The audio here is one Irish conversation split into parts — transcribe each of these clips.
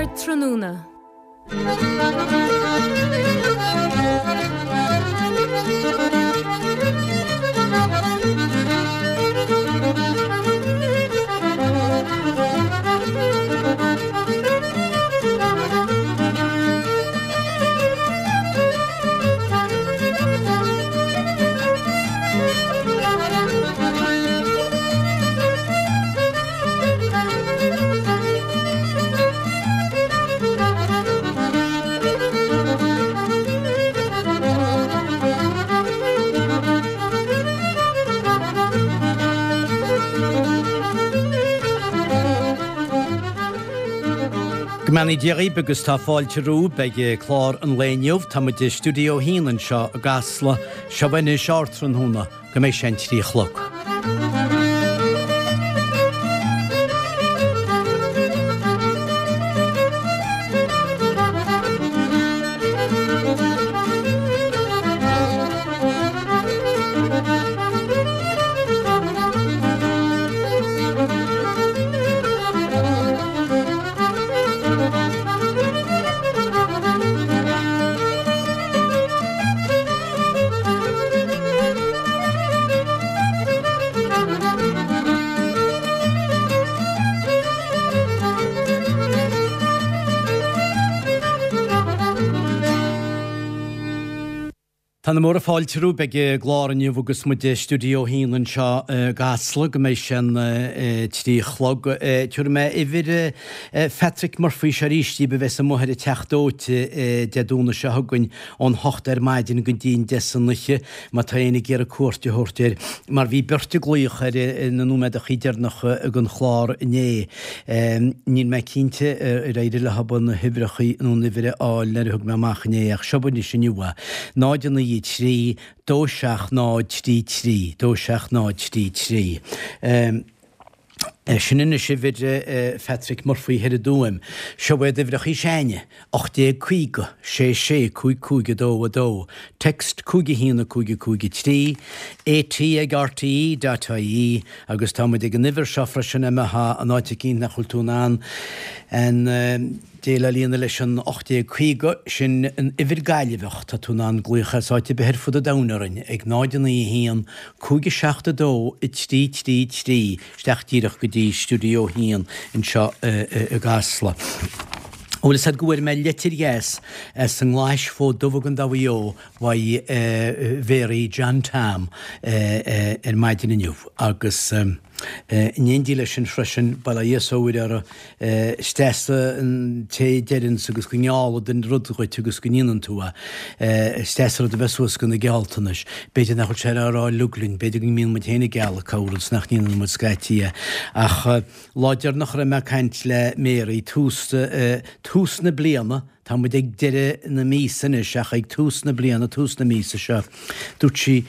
Ardtráthnóna. Go mbeannaí Dia dhaoibh agus tá fáilte romhaibh ag clár an lae inniu. Tá muid i Stiúideo 1 anseo i gCasla. Seo anois Ardtráthnóna. Go mbeidh sé an 3 a chlog. Tá na móra fáilte romhaibh ag an gclár inniu agus muid i Stiúideo 1 anseo i gCasla go mbeidh sé an 3 a chlog. Tabharfaidh mé uimhir Phatrick Murphy seo arís daoibh a bheas amuigh ar an Teach Dóite Dé Domhnaigh seo chugainn ón hocht ar maidin go dtí an deich san oíche, má tá éinne ag iarraidh cuairt a thabhairt air, mar bhí beirt ag glaoch air na nóiméadachaí deireanacha den chlár inné. Níl mé cinnte ar éirigh leo na huimhreachaí nó an uimhir a fháil nuair a thug mé amach inné, ach seo anois inniu é, 0 9 3 2 7 0 3 3 2 7 0 3 3. Sin anois uimhir Phatrick Murphy thoir i dTuaim. Seo iad uimhreachaí s'againne, 1850 6 6 5 5 2 2, text 5 1 5 5 3, AT ag RTE dot ie agus tá muid ag an uimhir seo freisin má tá in áit eicínt nach bhfuil tú in ann an déileáil a dhéanamh leis an 1850, sin an uimhir Gaillimheach, tá tú in ann glaoch as áit ar bith ar fud an domhain orainn ag 0 9 1 5 7 2 3 3 3, isteach díreach go dtí Stiúideo 1 anseo i gCasla. Bhfuil fhios a'd go bhfuair mé leitir dheas as an nGlais Fód Dubh i gContae Mhaigh Eo uaidh Mhéaraí John Tom ar maidin inniu agus In éindí leis sin freisin, bail ó Dhia is ó Mhuire orthu, is deas an té a deireanns agus go ngeallfad an rud dhuit agus go ndéanann tú é. Is deas an rud a bheith suas go na gealltanais. B'fhéidir nach bhfuil sé á rá uilig linn, b'fhéidir go mbíonn muid féin ag gealladh corr-rud is nach ndéanann muid scaití é. Ach lá deireanach a raibh mé ag caint le Mary, tús, tús na bliana, tá muid ag deireadh na míosa anois ach ag tús na bliana, tús na míosa seo, dúirt sí,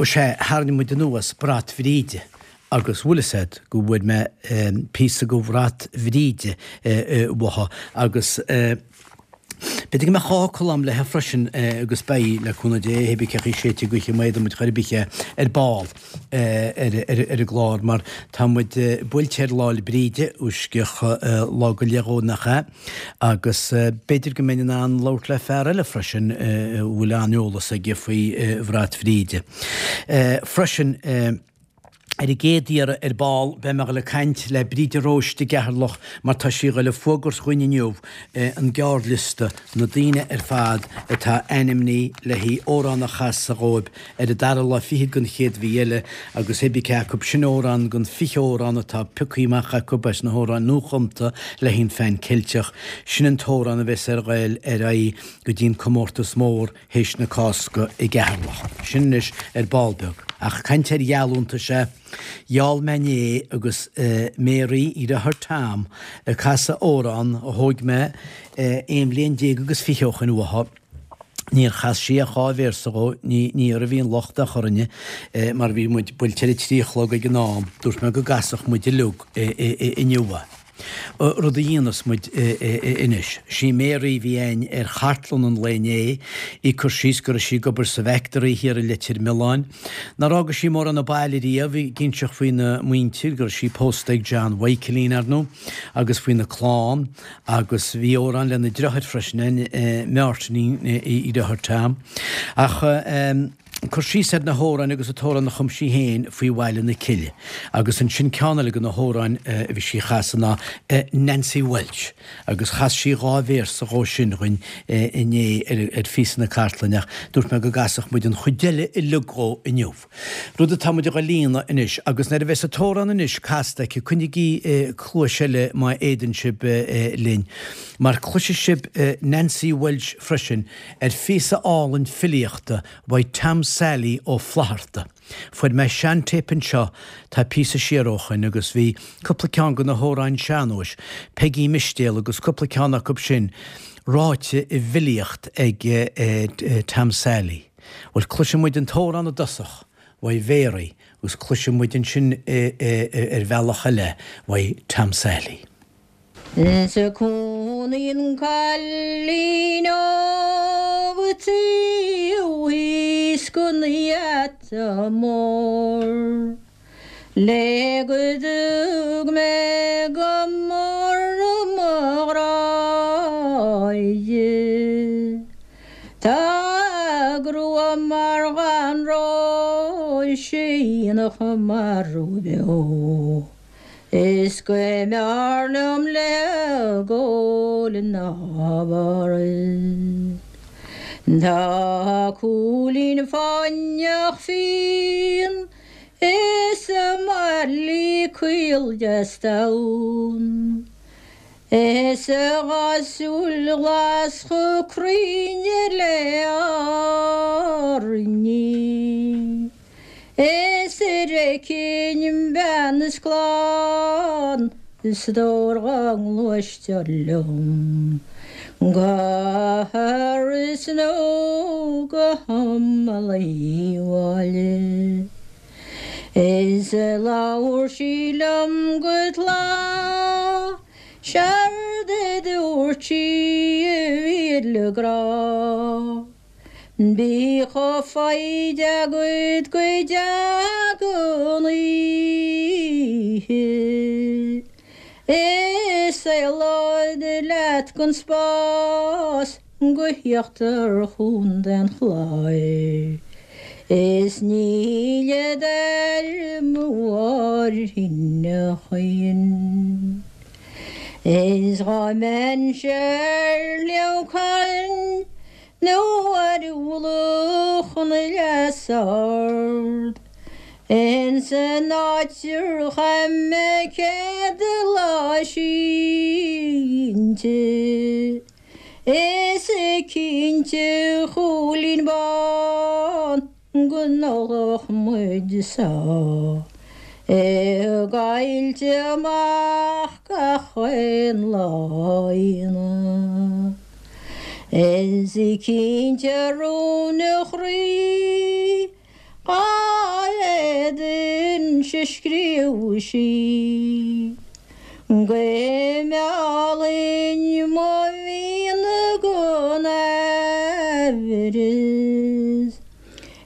ó sea, tharraing muid anuas brat Bhríde agus bhfuil fhios a'd go bhfuair mé píosa go bhrat Bhríde uaithi agus b'fhéidir go mbeadh dhá fhocal a'm léithe freisin agus beidh, le cúnamh Dé, hé bith cé chaoi séidte gaoithe má fhéadann muid chor ar bith é ar ball ar an gclár mar tá muid buailte ar Lá 'le Bríde, uisceach lá go leith dhó nach ea? Agus b'fhéidir go mbeinn in ann labhairt le fear eile freisin a bhfuil an-eolas aige faoi bhrat Bhríde. Freisin, ar an gcéad iarraidh ar ball, beidh mé ag dul ag caint le Bríd de Róiste i gCeatharlach mar tá sí ag dul ag fuagairt dhúinn inniu an gearrliosta, na daoine ar fad atá ainmnithe le haghaidh amhrán a chasadh dhóibh ar an dara lá fichead den chéad mhí eile agus hé bith cé acu, sin amhrán den 20 amhrán atá pioctha amach acu as na hamhráin nuachumta le haghaidh an Phean Ceilteach, sin an t-amhrán a bheas ar ghoil ar aghaidh go dtí an comórtas mór théis na Cásca i gCeatharlach. Sin anois ar ball beag. Ach caint ar gheallúntais, sea, gheall mé inné agus Mary, deartháir Tom, ag casadh amhrán a thóig mé aon bhliain déag agus fiche ó shoin uathu, Níor chas sí ach dhá véarsa dhó, ní ní uirthi a bhí an locht ach orainne, mar bhí muid buailte ar a trí a chlog ag an am, dúirt mé go gcasfadh muid uilig inniu é. Rud a dhéanfas muid anois. Sí Mary a bhí againn ar chartlann an lae inné, í ag cur síos go raibh sí ag obair sa bhfactory thiar i Leitir Mealláin, nár fhága sí mórán an baile riamh, ag inseacht faoina muintir, go raibh sí pósta ag John Mhichaelín, ar ndóigh, agus faoina clann, agus bhí amhrán lena deartháir freisin, Máirtín, a dheartháir Tom. Ach. Cur síos ar na hamhráin agus an t-amhrán a chum sí féin faoi Bhaile na Cille. Agus ansin ceann eile de na hamhráin a bhí sí a chasadh ná Nancy Walsh agus chas sí dhá véarsa dhó sin dhuinn inné ar phíosa na cartlainne ach dúirt mé go gcasfadh muid an chuid eile uilig dhó inniu. Rud atá muid a dhul a dhéanamh anois agus nuair a bheas an t-amhrán anois casta aici coinnigí cluais eile má fhéadann sibh linn mar cloisfidh sibh Nancy Walsh freisin ar phíosa álainn filíochta uaidh Tom Sally Ó Flaithearta. Fuair mé seantéip anseo tá píosa siar ó shoin agus bhí cúpla ceann de na hamhráin sean-nóis, Peigí Mistéal agus cúpla ceann acu sin, ráite i bhfilíocht ag Tom Sally. Bhuel, cloisfidh muid an t-amhrán i dtosach uaidh Mary agus cloisfidh muid ansin ar bhealach eile uaidh Tom Sally. Is cónaíonn cailín óg taobh thíos den gheata mór Le go dtug mé go mór mo ghrá di. Tá a grua mar dhath an róis a dhéanfadh marbh beo. Is go mb'fhearr liom léi gabháil ná Páras. Tá a cúilín fáinneach fíon is a maidhc caol deas donn. Is a dhá súil ghlas chomh cruinn le hAirní. Is ar fheicfinn bean is clann is stór dhá ngluaistear liom go hIorras nó go hImeall Uí Mháille. Is labhair sí liom go tláth, 'Séard a dúirt sí a mhíle grá. Bíodh foighid agat go dtaga an oíche Is éalód leat den spás go híochtar Chontae an Chláir Is ní fhillfead ar mo mháirthín a choíchin Is dhá mbeinnse ar Shliabh Cairn Nó ar mhullach an Leasa Ard Ins an áit ar chaith mé céad lá sínte Is cinnte a Chóilín Bán go n-ólfadh muid sáith I gcoillte amach gach aon lá Aoine. Is cinnte a rún a chroí dhá bhféadfainnse scríobh sí go meallfainn mo mhian gan aimhreas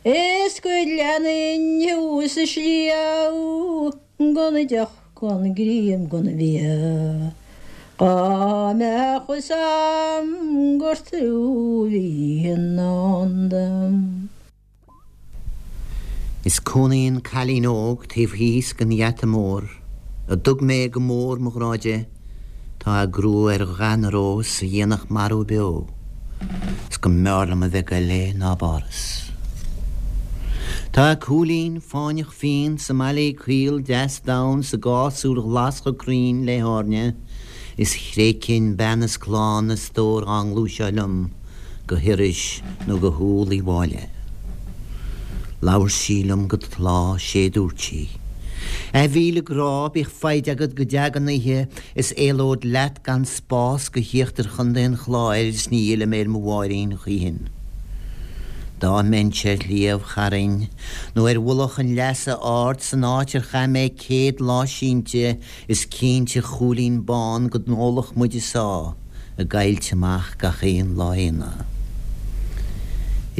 is go leanfainn thú sa sliabh Gan deoch, gan greim, gan bia, Dhá mbeadh fhios a'm gur tú a bhí i ndán dom. Is cónaíonn cailín óg taobh thíos den gheata mór, A dtug mé go mór mo ghrá di, Tá a grua ar dhath na rós a dhéanfadh marbh beo, 'S go mb'fhearr liom a bheith ag goil léi ná bPáras. Tá a cúilín fáinneach fíon 's a maillí caol deas donn 's a dhá súil ghlas chomh cruinn le hairne, Is thréigfinn bean is clann is stór dhá ngluaiseadh liom go hIorrais nó go hÚll Uí Mháille. Labhair sí liom go tláth, 'sé dúirt sí, A mhíle grá, bíodh foighid agat go dteaga an oíche is éalód leat gan spás go híochtar Chontae an Chláir is ní fhillfidh mé ar mo mháirín choíchin. Dá mbeinnse ar Shliabh Chairn nó ar mhullach an Leasa Aird san áit ar chaith mé 100 lá sínte is cinnte a chúilín bán go n-ólfadh muid a sáith i gcoillte amach gach aon lá aonaigh.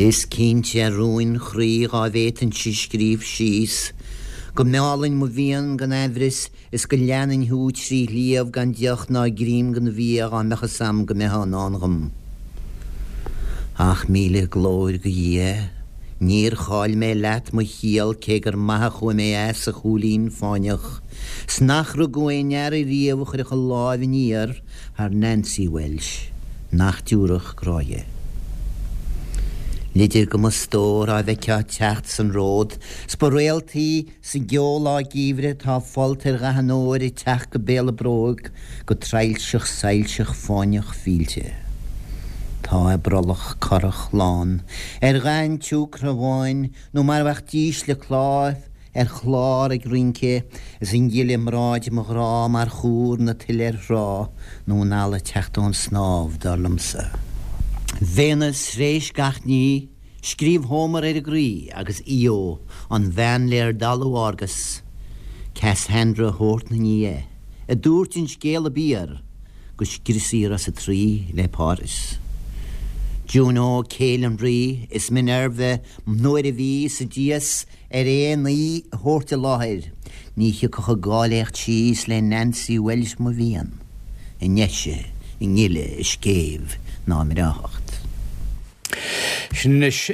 Is cinnte a rúin chroí dhá bhféadfainnse scríobh síos go meállainn mo mhian gan aimhreas Is go leanfainn thú trí shliabh gan deoch ná greim den bhia dhá mbeadh fhios a'm go mbeifeá i ndán dhom. Ach míle glóir go Dhia, níor chaill mé leat mo chiall cé gur maith a chuaigh mé as, a chúilín fáinneach, 's nach rugadh aon fhear ariamh a chuirfeadh a láimh aniar thar Nancy Walsh, nach dtiúrfadh grá dhi. Leide go mo stór á bhfeicfeá teacht san ród 's ba réaltaí Sa gceo lá geimhridh tá folt ar dhath an óir ag teacht go béal a bróg go traidhilseach soilseach fáinneach fillte. Tá a brollach corrach lán ar dhath an tsiúcra bháin nó mar a bheadh dísle cláir ar chlár ag rince is an ghile i mbráid mo ghrá mar chúr na tuile ar thrá nó an eala ag teacht ón snámh, dar liomsa. Véineas thréis gach ní. Scríobh Hómar ar an gcroí agus Íó, an bhean lér dalladh Argus, Cassandra a thabhairt 'na ndiaidh, a dúirt an scéal ab fhíor, go scriosfaí rosa Traí le Páras. Juno, céile an rí, is Minerva nuair a bhí sa dias ar aon aoi a thabhairt i láthair, ní thiocfadh i gcáilíocht síos le Nancy Walsh mo mhian, i ndeise, i ngile, i scéimh ná i mbreáthacht. Sin anois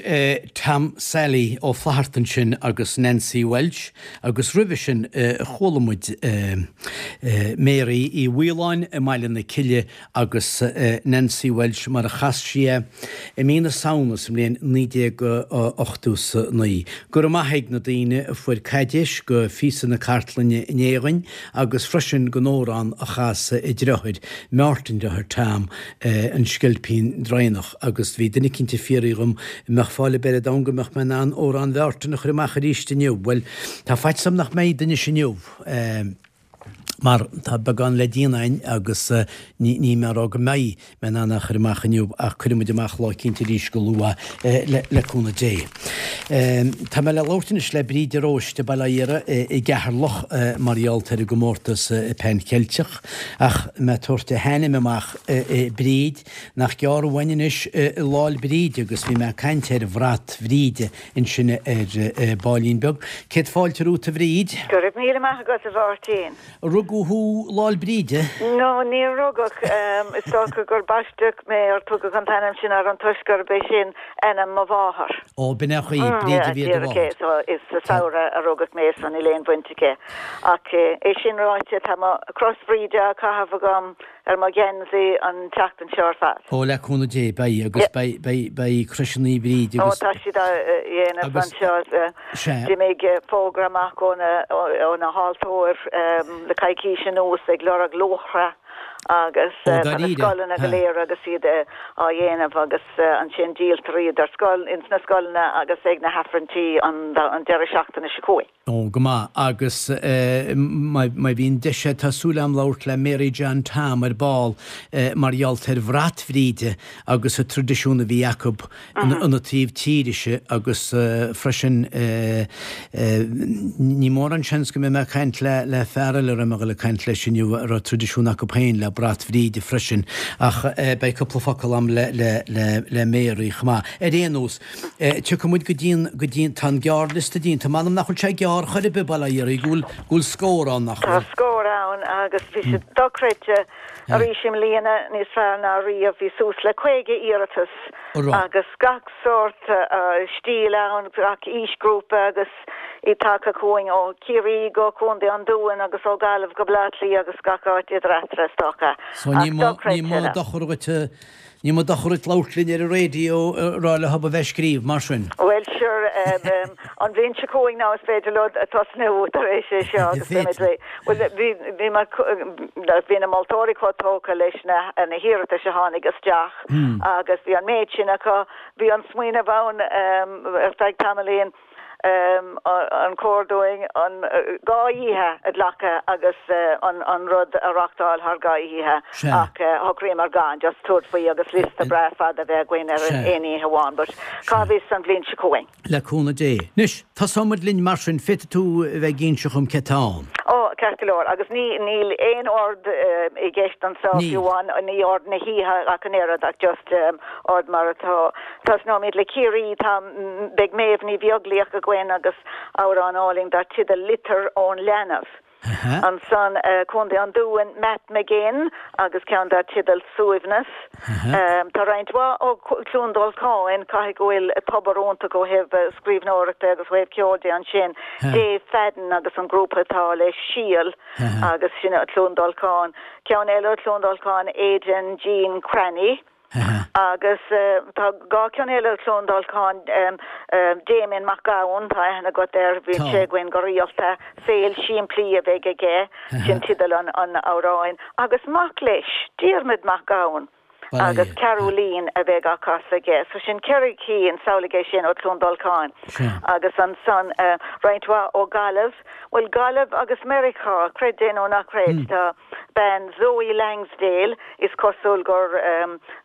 Tom Sally Ó Flatharta ansin agus Nancy Walsh agus roimhe sin chuala muid Mary Uí Mhaoláin i mBaile na Cille agus Nancy Walsh mar a chas sí é i mí na Samhna sa mbliain 1989. Go raibh maith ag na daoine a fuair caidéis go phíosa na cartlainne inné againn agus freisin don amhrán a chas a deartháir, Mártan deartháir Tom, An Sceilpín Draighneach agus bhí duine eicínt ag fiafraí dhom an mbeadh fáil ar bith ar domhan go mbeadh mé in ann amhrán Mhártain a chur amach arís inniu. Bhuel, tá faitíos orm nach mbeidh anois inniu mar tá beagán le déanamh againn agus ní ní mé a rá go mbeidh mé in ann é a chur amach inniu ach cuirfidh muid amach lá eicínt arís go luath le cúnamh Dé. Tá mé le labhairt anois le Bríd de Róiste, Baile Átha Iara i gCeatharlach mar gheall ar an gcomórtas Pan Cheilteach. Ach mé ag tabhairt a hainm amach, Bríd, nach gearr uainn anois Lá'l Bríde agus bhí mé ag caint ar bhrat Bhríde ansin ar baillín beag. Céad fáilte romhat a Bhríd. Go raibh míle maith agat a Mháirtín. Rugadh thú Lá'l Bríde? No, níor rugadh. Is dócha gur baisteadh mé or tugadh an t-ainm sin orm toisc gurb é sin ainm mo mháthar. Ó, b'in é an chaoi, Bríd a bhí ar do mháthair. So is sa samhradh a rugadh mé so níl aon bhaint aici. Ach é sin ráite, tá mo chros Bhríde á caitheamh agam ar mo gheansaí an tseachtain seo ar fad. Ó, le cúnamh Dé, beidh, agus beidh, beidh, beidh croiseanna Bhríde Ó, agus. tá siad á dhéanamh Agus, anseo. sea. D'imigh fógra amach ó na, ó na haltóir le coicís anuas ag lorg luachra agus Ó, tá na dáiríre, scoileanna go ha. léir agus iad á dhéanamh agus ansin díoltar iad ar scoil, ins na scoileanna agus ag na hAifrinntí an deireadh seachtaine seo chugainn. Ó, go maith. Agus má bhíonn deis a'd, tá súil a'm labhairt le Mary John Tom ar ball mar gheall ar bhrat Bhríde agus an traidisiún a bhí acu ina taobh tíre-se agus freisin ní mórán seans go mbeidh mé ag caint le fear eile a raibh mé ag dul ag caint leis inniu a raibh traidisiún acu féin le brat Bhríde freisin ach beidh cúpla focal a'm le Mary chomh maith. Ar aon nós, Tiocfaidh muid go dtí an, go dtí an, tá an gearrliosta déanta, m'anam nach bhfuil sé gearr chor ar bith, bail ó Dhia air, go bhfuil, go bhfuil scór ann, nach Tá bhfuil? scór ann agus bhí sé dochreidte arís i mbliana, níos fearr ná riamh. Bhí suas le 50 iarratas agus gach sórt stíl ann, gach aoisghrúpa agus iad tagtha chugainn ó Chiarraí go Contae an Dúin agus ó Ghaillimh go Baile Átha Cliath agus gach áit idir eatarthu is dócha. So ní Ach mó, ní mó dochreidte. dochar dhuit Ní mó dochar duit labhairt linn ar an raidió a rá leo a bheith ag scríobh, mar sin. Bhuel, sure, an bhliain seo chugainn now is féidir leo tosnú tar éis é seo agus beimid réidh. Bhuel, bhí, bhí mar, bhí na moltóirí chomh tógtha leis na, na hiarratais a tháinig isteach agus bhí an méid sin acu. Bhí an smaoineamh ann ar feadh tamaillín. An cóir dúinn an dá oíche a ghlacadh agus an rud a reachtáil thar dhá oíche ach shocraíomar gan, just tabhairt faoi agus liosta breá fada a bheith againn ar aon oíche amháin but cá bhfios an bhliain seo chugainn. Le cúnamh Dé. Anois, tosóidh muid linn mar sin, féadfaidh tú a bheith ag inse dhom cé tá ann. Ó, ceart go leor, agus ní, níl aon ord i gceist anseo fiú amháin, ní ord na hoíche ach an oiread ach just ord mar atá. Tosnóimid le Ciarraí, tá, beidh Méabh Ní Bheaglaoich againn agus amhrán álainn dar teideal 'Litir ón Leanbh'. Ansan, Contae an Dúin, Matt McGinn agus ceann dar teideal 'Suaimhneas'. Tá roinnt mhaith ó Chluain Dolcáin, caithfidh go bhfuil tobar iontach ó thaobh scríbhneoireachta agus ó thaobh ceoil de ansin, Dave Fadden agus an grúpa atá leis, Síol, agus sin ó Chluain Dolcáin. Ceann eile ó Chluain Dolcáin, Aidan Jean Cranny. Agus tá dhá cheann eile ó Chluain Dolcáin, Damien Mac Gabhann, tá aithne agat air, bíonn sé againn go rialta, Saol Simplí a bheidh aige, sin teideal an amhráin, agus mac leis, Diarmaid Mac Gabhann, agus Ceathrú Líne a bheidh á casadh aige. So sin ceithre cinn, samhlaigh é sin, ó Chluain Dolcáin. Agus ansan roinnt mhaith ó Ghaillimh, bhuel Gaillimh agus Meiriceá, creid é nó ná creid, tá. Bean Zoe Langsdale, is cosúil gur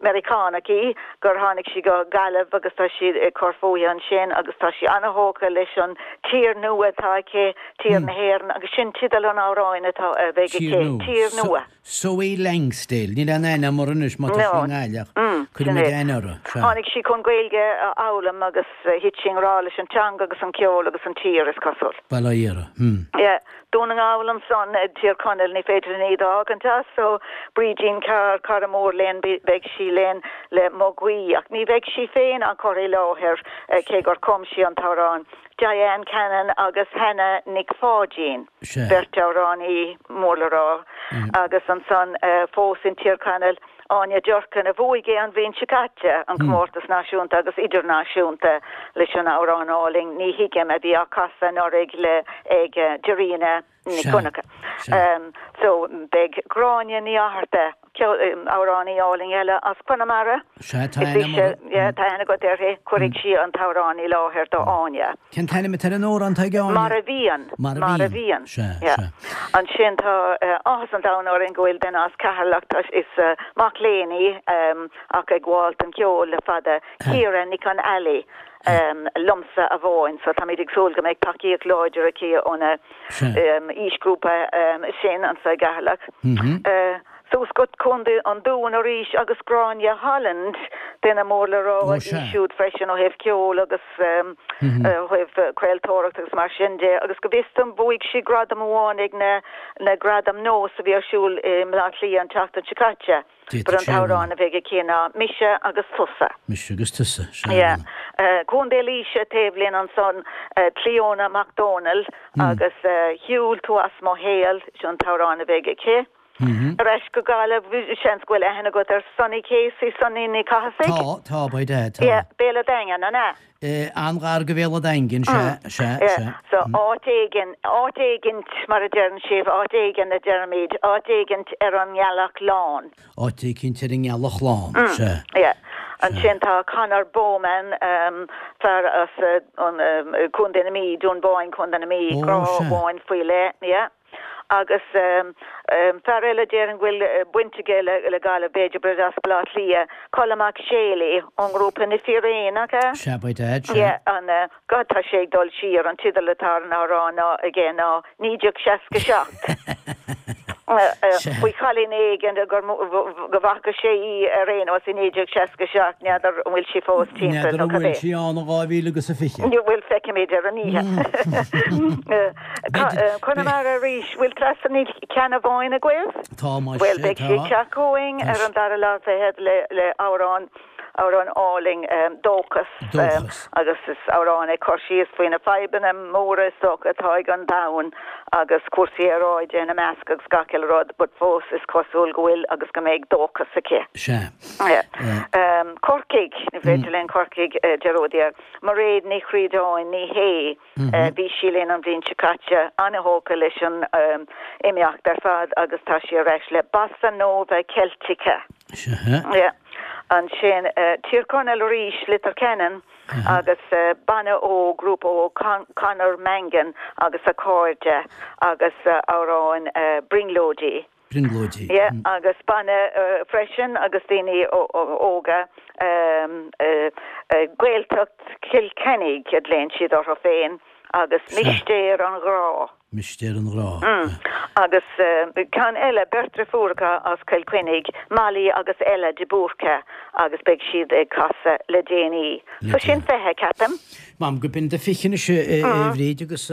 Meiriceánach í, gur tháinig sí go Gaillimh agus tá sí ag cur fúithi ansin agus tá sí an-thógtha leis an tír nua atá aici, tír na hÉireann, agus sin teideal an amhráin atá, a bheidh aici, Tír Nua. Zoe Langsdale, níl aon aithne agam uirthi anois má tá sí i nGaillimh ach cuirfidh muid aithne uirthi, sea. Tháinig sí chun Gaeilge a fhoghlaim agus thit sí i ngrá leis an teanga agus an ceol agus an tír, is cosúil. Bail ó Dhia uirthi. Hmm. Yeah. Dún na nGall ansan, Tír Chonaill, ní féidir linn iad a fhágaint as, so Brídín Carr, cara mór linn, beidh sí linn le Mo Ghuí, ach ní bheidh sí féin á cur i láthair, cé gur chum sí an t-amhrán. Diane Cannon agus Hannah Nic Pháidín, beirt amhránaí mór le rá, agus ansan fós in Tír Chonaill, Áine Durkin, a bhuaigh é an bhliain seo caite, an comórtas náisiúnta agus idirnáisiúnta leis an amhrán álainn Ní Thuigim a bhí á casadh anuraidh le ag Dairena Nic Dhonncha. So beidh Gráinne Ní Fhátharta, amhránaí álainn eile as Conamara, Sea, tá aithne agam uirthi. Yeah, tá aithne agat uirthi, cuirfidh sí an t-amhrán i láthair do Áine. Cén t-ainm atá ar an amhrán atá ag Áine? Mar a bhíonn. Mar a bhíonn. Sea, sea. Ansin tá áthas an domhain orainn go bhfuil duine as Ceatharlach, tá, is mac léinn í ach ag gabháil don cheol le fada, Ciara Nic an Ailí, Liomsa Amháin. So táimid ag súil go mbeidh tacaíocht láidir aici óna aoisghrúpa sin anseo i gCeatharlach. Suas go Contae an Dúin arís agus Gráinne Holland, duine mór le rá í siúd freisin ó thaobh ceoil agus ó thaobh craoltóireacht agus mar sin de agus go bhfios dom bhuaigh sí gradam amháin ag na na Gradaim Nós a bhí ar siúl i mBleá Cliath an tseachtain seo caite. But an t-amhrán a bheidh aici ná Mise agus Tusa. Mise agus Tusa, sea. Yeah. Contae Laoise taobh linn ansan, Clíona Mac Dónaill agus Shiúil Tú As Mo Shaol, sin an t-amhrán a bheidh aici. Ar ais go Gaillimh, seans go bhfuil aithne agat ar Sonny Casey, Sonny Ní Chathasaigh? Tá, tá, by dad, tá. Yeah, Béal a' Daingin, an ea? An-ghar go Bhéal a' Daingin, sea, sea, Yeah, sea. so áit éigin, áit éigint mar a deireann sibh, áit éigin a deirimid, áit éigint ar an nGealach Lán. Áit éicint ar an nGealach Lán, sea. Yeah. Ansin tá Conor Bowman, fear as an Contae na Mí, Dún Bóinne, Contae na Mí, grá amháin faoi leith, yeah. Agus fear eile déarfainn go bhfuil baint aige le Gaillimh b'fhéidir, but as Baile Átha Cliath, Colm Mac Séalaigh ón ngrúpa Na Fíréin, nach ea? Sea, by dad, sea. Yeah, an, God tá sé ag dul siar, an teideal atá ar an amhrán ná, aige ná 1967. Faoi chailín éigin gur, go bhfaca sé í ar aon nós i 1967, n'fheadar an bhfuil sí fós timpeall nó N'fheadar an bhfuil sí ann in 2020. Bhuel, feicfimid ar an oíche. Conamara arís, bhfuil Treasa Ní Cheannabháin agaibh? Tá, muise, Bhuel, beidh sí ag teacht chugainn ar an dara lá fichead le amhrán, amhrán álainn, Dóchas. Dóchas. Agus is amhrán ag cur síos faoi na fadhbanna móra is dócha atá ag an domhan agus cúrsaí aeráide ina measc agus gach uile rud, but fós is cosúil go bhfuil agus go mbeidh dóchas aici. Sea. Corcaigh, ní féidir linn Corcaigh dearúd air. Mairéad Ní Chríodáin, ní hé. Bhí sí linn an bhliain seo caite, an-thógtha leis an imeacht ar fad agus tá sí ar ais le Bossa Nova Celtica. Sea. Yeah. Ansin Tír Chonaill arís, Leitir Ceanainn agus banna óg, grúpa óg, Conor Mangan agus a chairde agus amhráin Brionglóidí. Brionglóidí. Yeah, agus banna freisin agus daoine óga, Gaeltacht Chill Chainnigh a ghlaonn siad orthu féin agus Mistéir an Ghrá. Mistéir an Ghrá. Agus ceann eile, beirt driofúracha as Cill Chainnigh, Molly agus Ella de Búrca agus beidh siad ag casadh le déanaí. So sin 20, ceapaim. M'anam go b'in do 20 anois a Bhríd agus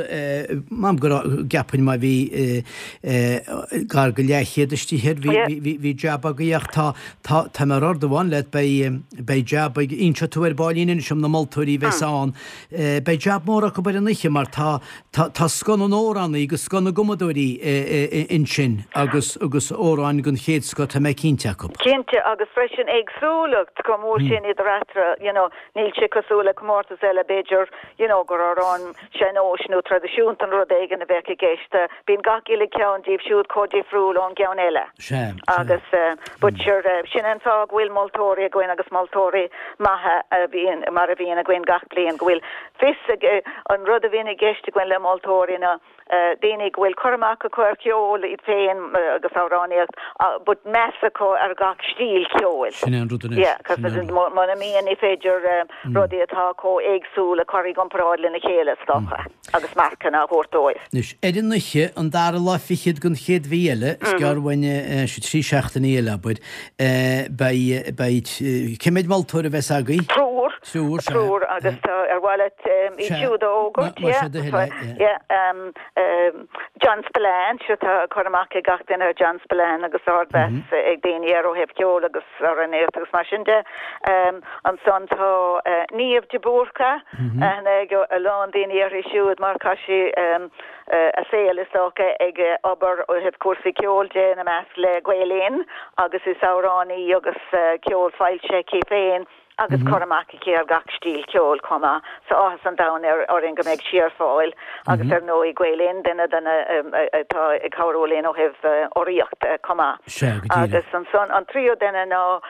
m'anam go raibh, gceapfainn má bhí gar go leathchéad istigh air, bhí jab agaibh ach tá, tá, tá mé ar ord amháin leat, beidh, beidh jab ag, inseoidh tú ar baillín anois dom na moltóirí a bheas ann, beidh jab mór acu ar an oíche mar tá, Tá tá scoth na n-amhránaí agus scoth na gcumadóirí ansin agus agus amhráin den chéad scoth tá mé cinnte acu. Cinnte agus freisin éagsúlacht chomh mór sin idir eatarthu you know níl sé cosúil le comórtas eile b'fhéidir you know gur amhrán sean-nóis nó traidisiúnta nó rud éigin a bheadh i gceist. Bíonn gach uile ceann díobh siúd chomh difriúil ón gceann eile. Sea, sea. Agus but sure sin an fáth go bhfuil moltóirí againn agus moltóirí maithe a bhíonn mar a bhíonn againn gach bliain go bhfuil fios ag, an rud a bhíonn i gceist againn le moltóirí ná daoine go bhfuil cur amach acu ar cheol iad féin agus amhránaíocht but meas acu ar gach stíl cheoil. Sin é an rud anois. Yeah, cos muna mbíonn ní féidir rudaí atá chomh éagsúil a chur i gcomparáid lena chéile is dócha agus marcanna a thabhairt dóibh. Anois, ar an oíche, an dara lá fichead den chéad mhí eile, is gearr uainn sé trí seachtainí eile, abair, beidh, beidh, cé mhéad moltóir a bheas agaibh? Triúr. Triúr, sea. Triúr agus tá ar mhaith leat iad siúd a fhógairt, yeah. Más é do thoil é, yeah. Yeah, John Spillane, sure tá cur amach ag gach duine ar John Spillane agus ardmheas ag daoine air ó thaobh ceoil agus amhránaíocht agus mar sin de. Ansan tá Niamh de Búrca, aithne ag a lán daoine uirthi siúd mar chaith sí a saol is dócha ag obair ó thaobh cúrsaí ceoil de, ina measc le Gael Linn agus is amhránaí agus ceol foilsithe aici féin. agus cur amach aici ar gach stíl ceoil chomh maith. So áthas an domhain orainn go mbeidh sí ar fáil agus ar ndóigh Gael Linn, duine de na atá ag cabhrú linn ó thaobh urraíocht chomh maith. Sea, go díreach. Agus ansan an tríú duine ná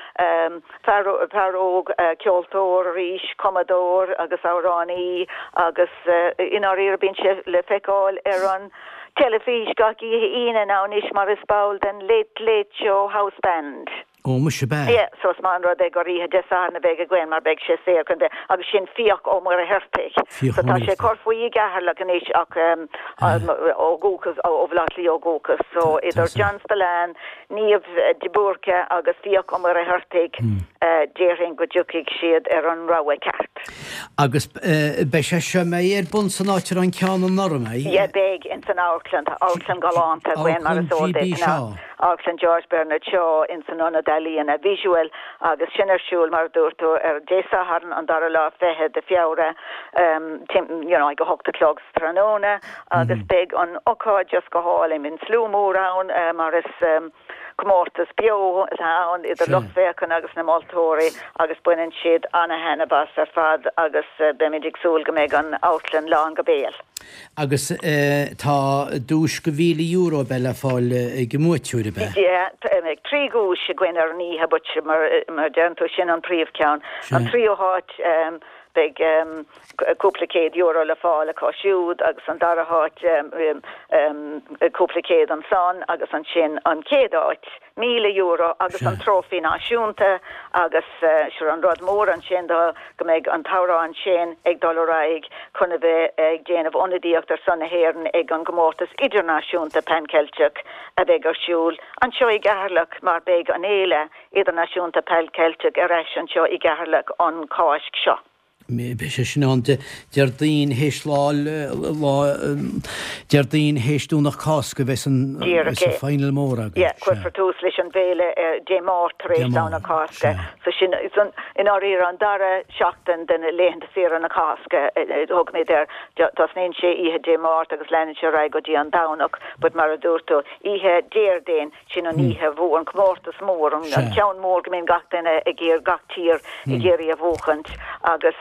fear, fear óg, ceoltóir arís, cumadóir agus amhránaí agus i ndáiríre bíonn sé le feiceáil ar an teilifís gach oíche Aoine now anois mar is ball den Late Late Show House Band. Ó, muise, ab ea? Yeah, so is maith an rud é gur oíche Dé Sathairn a bheidh againn mar beidh sé saor chun bheith, agus sin Fiach Ó Muircheartaigh. Fiach So Ó tá sé Muircheartaigh. ag cur faoi i gCeatharlach anois ach ó dhúchas, ó Bhaile Átha Cliath ó dhúchas. So idir John Spillane, Niamh de Búrca agus Fiach Ó Muircheartaigh, déarfainn go dtiocfaidh siad ar an rogha ceart. Agus beidh sé seo, mbeidh ar bun san áit a raibh an ceann anuraidh, mbeidh? Yeah, beidh, ins an amharclann. Tá amharclann galánta againn mar is Amharclann eol GB duit. Shaw. Amharclann George Bernard Shaw ins an Ionad Ealaíona Visual agus sin ar siúl mar a dúirt tú ar Dé Sathairn an dara lá 20 de Feabhra you know ag a hocht a chlog sa tráthnóna agus beidh an ocáid just go hálainn. Bíonn slua mór ann mar is comórtas beo atá ann idir lucht féachana agus na moltóirí agus baineann siad ana-thaitneamh as ar fad agus beimid ag súil go mbeidh an amharclann lán go béal. Agus tá duais de €1,000 ab ea le fáil ag an mbuaiteoir, ab ea? Yeah, beidh 3 dhuais againn ar an oíche but mar a deireann tú sin an príomhcheann. An tríú háit beidh cúpla céad euro le fáil acu siúd agus an dara háit cúpla céad ansan agus ansin an chéad áit. €1,000 agus an trófaí náisiúnta agus sure an rud mór ansin ná go mbeidh an t-amhrán sin ag dul ar aghaidh chun a bheith ag déanamh ionadaíocht ar son na hÉireann ag an gcomórtas idirnáisiúnta Pan Ceilteach a bheidh ar siúl anseo i gCeatharlach mar beidh an fhéile idirnáisiúnta Pan Ceilteach ar ais anseo i gCeatharlach an Cháisc seo. Beidh sé sin ann Déardaoin théis lá, lá, Déardaoin théis Domhnach Cásca a bheas an, Díreach é. final mór agaibh. Yeah, cuirfear tús leis an bhféile Dé Máirt tar éis Domhnach Cásca. So sin, i ndáiríre, an dara seachtain de laethanta saoire na Cásca a thugaimid air. Tosnaíonn sé oíche Dé Máirt agus leanann sé ar aghaidh go dtí an Domhnach, but mar a dúirt tú, oíche Déardaoin, Sin an oíche mhór, an comórtas mór, an ceann mór go mbíonn gach duine ag iarraidh, gach tír ag iarraidh a bhuachaint agus.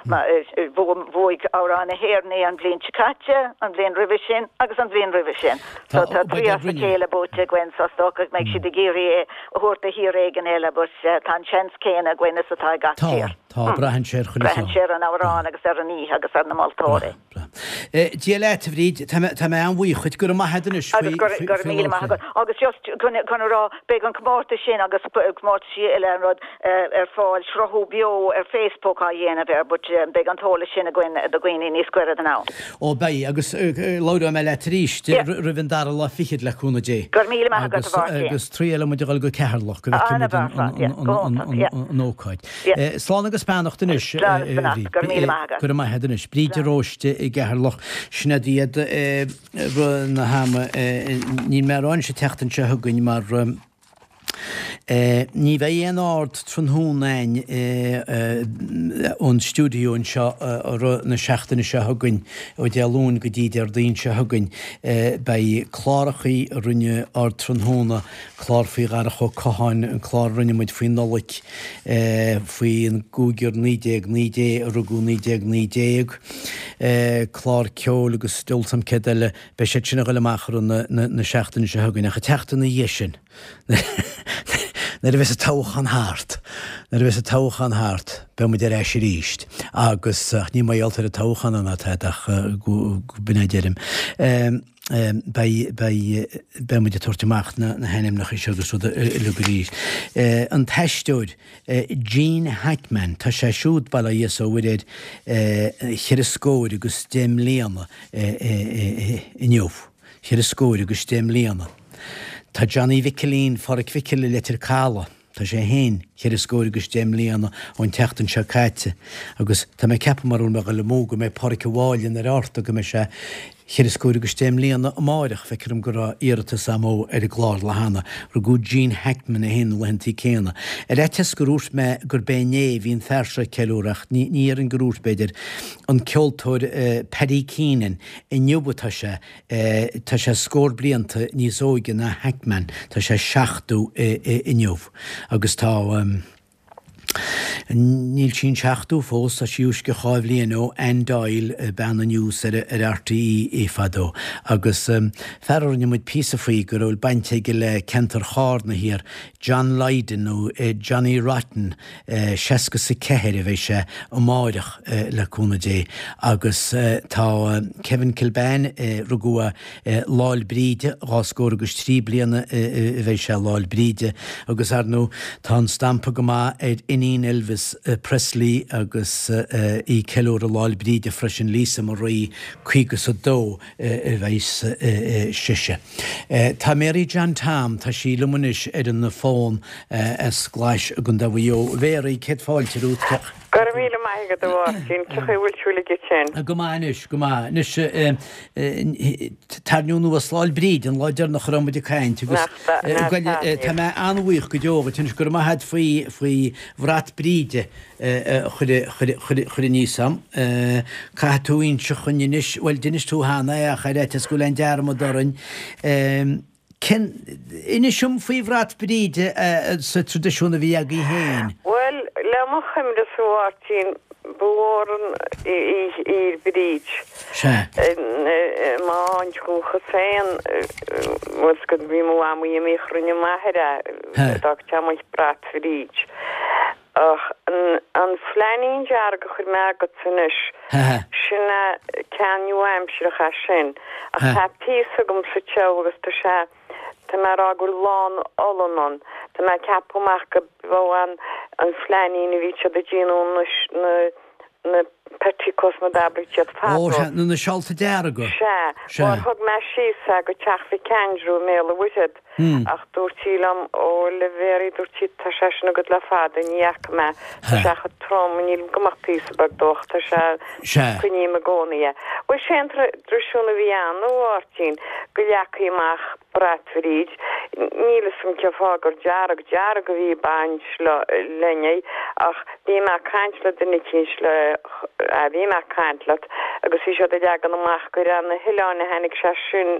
Bhuaigh Amhrán na hÉireann é an bhliain seo caite, an bhliain roimhe sin agus an bhliain roimhe sin. So tá trí as a chéile buaite againn so is dócha go mbeidh siad ag iarraidh é a thabhairt do thír éigin eile but tá an seans céanna againn is atá ag gach tír. Tá, tá, braitheann sé ar chuile Braitheann sé ar an amhrán agus ar an oíche agus ar na moltóirí. Dia leat, a Bhríd. Tá mé, tá mé an-bhuíoch dhuit. Go raibh maith agat anois faoi, Agus go, go raibh míle maith agat. Agus just chun, chun a rá, beidh an comórtas sin agus comórtaisí eile an rud ar fáil, sruthú beo ar Facebook á dhéanamh air, but beidh an t-eolas sin againn do dhaoine níos gaire don am. Ó beidh, agus labhróidh mé leat arís roimh an dara lá fichead le cúnamh Dé. Go raibh míle maith agat, a Mháirtín. Agus triailfidh muid a dhul go Ceatharlach go bhfeicfidh muid an ócáid. Slán agus beannacht anois, Slán agus beannacht. Go raibh míle maith agat. Go raibh maith agat anois. Bríd de Róiste i gCeatharlach. Sin iad i rith na hama. Níl mé a rá anois an tseachtain seo chugainn mar ní bheidh aon Ardtráthnóna againn ón stiúideo anseo i rith na seachtaine seo chugainn, ó Dé Luain go dtí Déardaoin seo chugainn. Beidh clárachaí a rinne Ardtráthnóna clár faoi Dharach Ó Catháin, an clár a rinne muid faoi Nollaig, faoin gcúigear 1919 a rugadh 1919, clár ceoil agus diabhal 's a'm céard eile, beidh siad sin a ghoil amach i rith na seachtaine seo chugainn. Ach an tseachtain ina dhiaidh sin, nuair a bheas an toghchán thart, nuair a bheas an toghchán thart, beidh muid ar ais arís agus, ach ní mar gheall ar an toghchán ná tada ach go b'in é a deirim. Beidh, beidh, beidh muid ag tabhairt amach na hainmneacha seo agus rud uilig arís. An t-aisteoir Gene Hackman, tá sé siúd, bail ó Dhia is ó Mhuire air, cheithre scór agus deich mbliana inniu. Cheithre scór agus deich mbliana. Tá Johnny Mhicilín Pháraic Mhicil i Leitir Caladh. Tá sé féin cheithre scór agus deich mbliana ón tseachtain seo caite agus tá mé ag ceapadh mara bhfuil mé ag dul amú go mbeidh Páraic a' Mháille na Rabharta go mbeidh sé cheithre scór agus deich mbliana amáireach. Feictear dom go raibh iarratas a'm ó ar an gclár lá cheana. Rugadh Gene Hackman é féin na laethantaí céanna. Ar fhaitíos gur dhúirt mé gurb é inné a bhí an fear seo ag ceiliúradh ach ní ní déarfainn gur dhúirt b'fhéidir. An ceoltóir Paddy Keenan inniu atá sé Tá sé scór blianta níos óige ná Hackman, tá sé 70 inniu, agus tá, níl sí an 70 fós, tá sí uisce dhá bhliain ó Anne Doyle, bean an news ar RTÉ fadó. Agus fear a rinne muid píosa faoi go raibh baint aige le ceantar Chárna thiar, John Lydon nó Johnny Rotten, 60 's 4 a bheidh sé amáireach le cúnamh Dé agus tá Kevin Kilbane, rugadh é Lá'l Bríde, dhá scór agus trí bliana a bheidh sé Lá'l Bríde agus ar ndóigh tá an stampa go maith ar iníon Elvis Presley agus í ag ceiliúradh Lá'l Bríde freisin, Lisa Marie, 50 's 2. a bheas sise. Tá Mary John Tom, tá sí liom anois ar an bhfón as Glais i gContae Mhaigh Eo. A Mhary, céad fáilte romhat. Go raibh míle maith agat a Mháirtín. Cén chaoi a bhfuil tú uilig ansin? Go maith anois, go maith. Anois, tarraingt anuas Lá'l Bríde, an lá deireanach a raibh muid ag caint agus tá mé an-bhuíoch go deo dhuit anois, go raibh maith agat faoi bhrat Bríde. a chur aníos a'm. Caithfidh tú inse dhuinn anois, bhuel d'inis tú cheana é ach ar fhaitíos go bhfuil aon dearmad orainn. Cén, inis dom faoi bhrat Bríde sa traidisiún a bhí agaibh féin. Bhuel, le mo chuimhne-sa a Mháirtín, ba mhór an oíche í Bríd. Sea. I m'áit dhúchas féin, bhuel, bhí mo mhamaí imithe, rinne m'athair é, d'fhág muid brat Bhríd. Ach an flainín dearg a chuir mé agatsa anois, sin é ceann nua-aimsearach é sin. Ach tá píosa agam sa teach agus tá sé, tá mé a rá go bhfuil lán olann ann. Tá mé ag ceapadh amach go b'é an flainín a bhí siad ag déanamh na, na petticoats mar d'abraigh siad fadó. Ó, sea, na seálta dearga. Sea. Sea. Mar thug mé síos é go teach Mhic Aindriú i mBéal an Mhuirthead. Ach dúirt sí liom, Ó, a Mhéaraí, dúirt sí, tá sé sin agat le fada, ní fhaca mé, tá sé chomh trom, nílim go mbeadh píosa beag dó ach tá sé, coinním i gcónaí é. Bhuel, sé an traidisiún a bhí ann, a Mháirtín, go leagfaí amach brat Bhríd, níl fhios a'm cén fáth gur dearg, dearg a bhí ag baint linn é, ach bhí mé ag caint le duine eicínt le, bhí mé ag caint leat agus bhí siad ag leagan amach gur ar na hoileáin a tháinig sé sin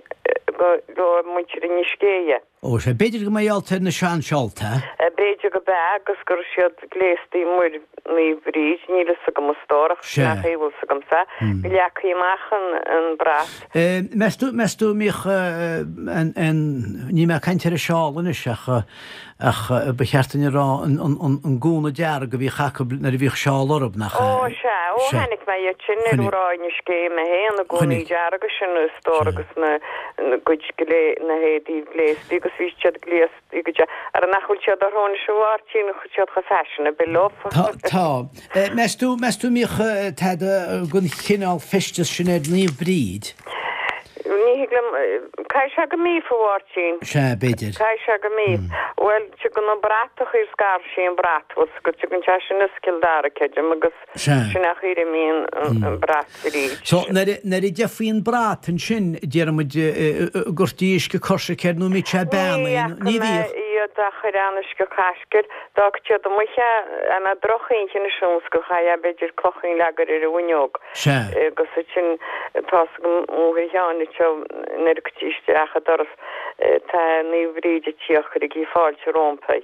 go. go muintir Inis Géidhe. Ó, sea, b'fhéidir go mba gheall ar na seanseálta. B'fhéidir go b'ea agus go raibh siad gléastaí mar Naomh Bríd, níl fhios agam a stór ach sin an chaoi a bhfuil fhios agamsa, go leagfaí amach an brat. Meas tú, meas tú an mbíodh an, an, níl mé ag caint ar an seál anois ach, ach ba cheart dúinn a rá an, an, an, an gúna dearg a bhíodh acu nuair a bhíodh seál orthu, nach ea? Ó, sea, ó chonaic mé iad sin ar Mhná Inis Gé mé féin, na gúnaí dearga sin a stór agus na, na gcuid, na héadaí gléastaí agus bhí siad gléasta. Ara nach bhfuil siad orthu anois a Mháirtín, tá siad chomh fashionable leo. Tá, tá. Meas tú, meas tú an mbíodh tada den chineál feisteas sin ar Naomh Bríd? Ní thig liom, caithfidh sé go mbíodh a Mháirtín. Sea, b'fhéidir. Caithfidh sé go mbíodh. Bhuel, tugann an bratach ar scar sí an brat, bhfuil 's agat, tugann sé sin as Cill Dara, creidim, agus. Sea. Sin an chaoi a mbíonn an brat Bríd. So, nuair a gheofaí an brat ansin, déarfaidh muid, an gcuirtí uisce coisricthe air nó an mbíodh sé beannaithe, ní bhíodh? Ní fhaca mé iad ag cur aon uisce coisricthe air. D'fhágfadh siad amuigh é, dá mbeadh drochoíche anois ann is go chaithfeá b'fhéidir clochín a leagan ar an bhfuinneog. Sea. Agus ansin, tá's agam máthair Sheáin anseo nuair a thiocfaí isteach an doras, tá Naomh Bríd ag tíocht, cuirigí fáilte róimpi.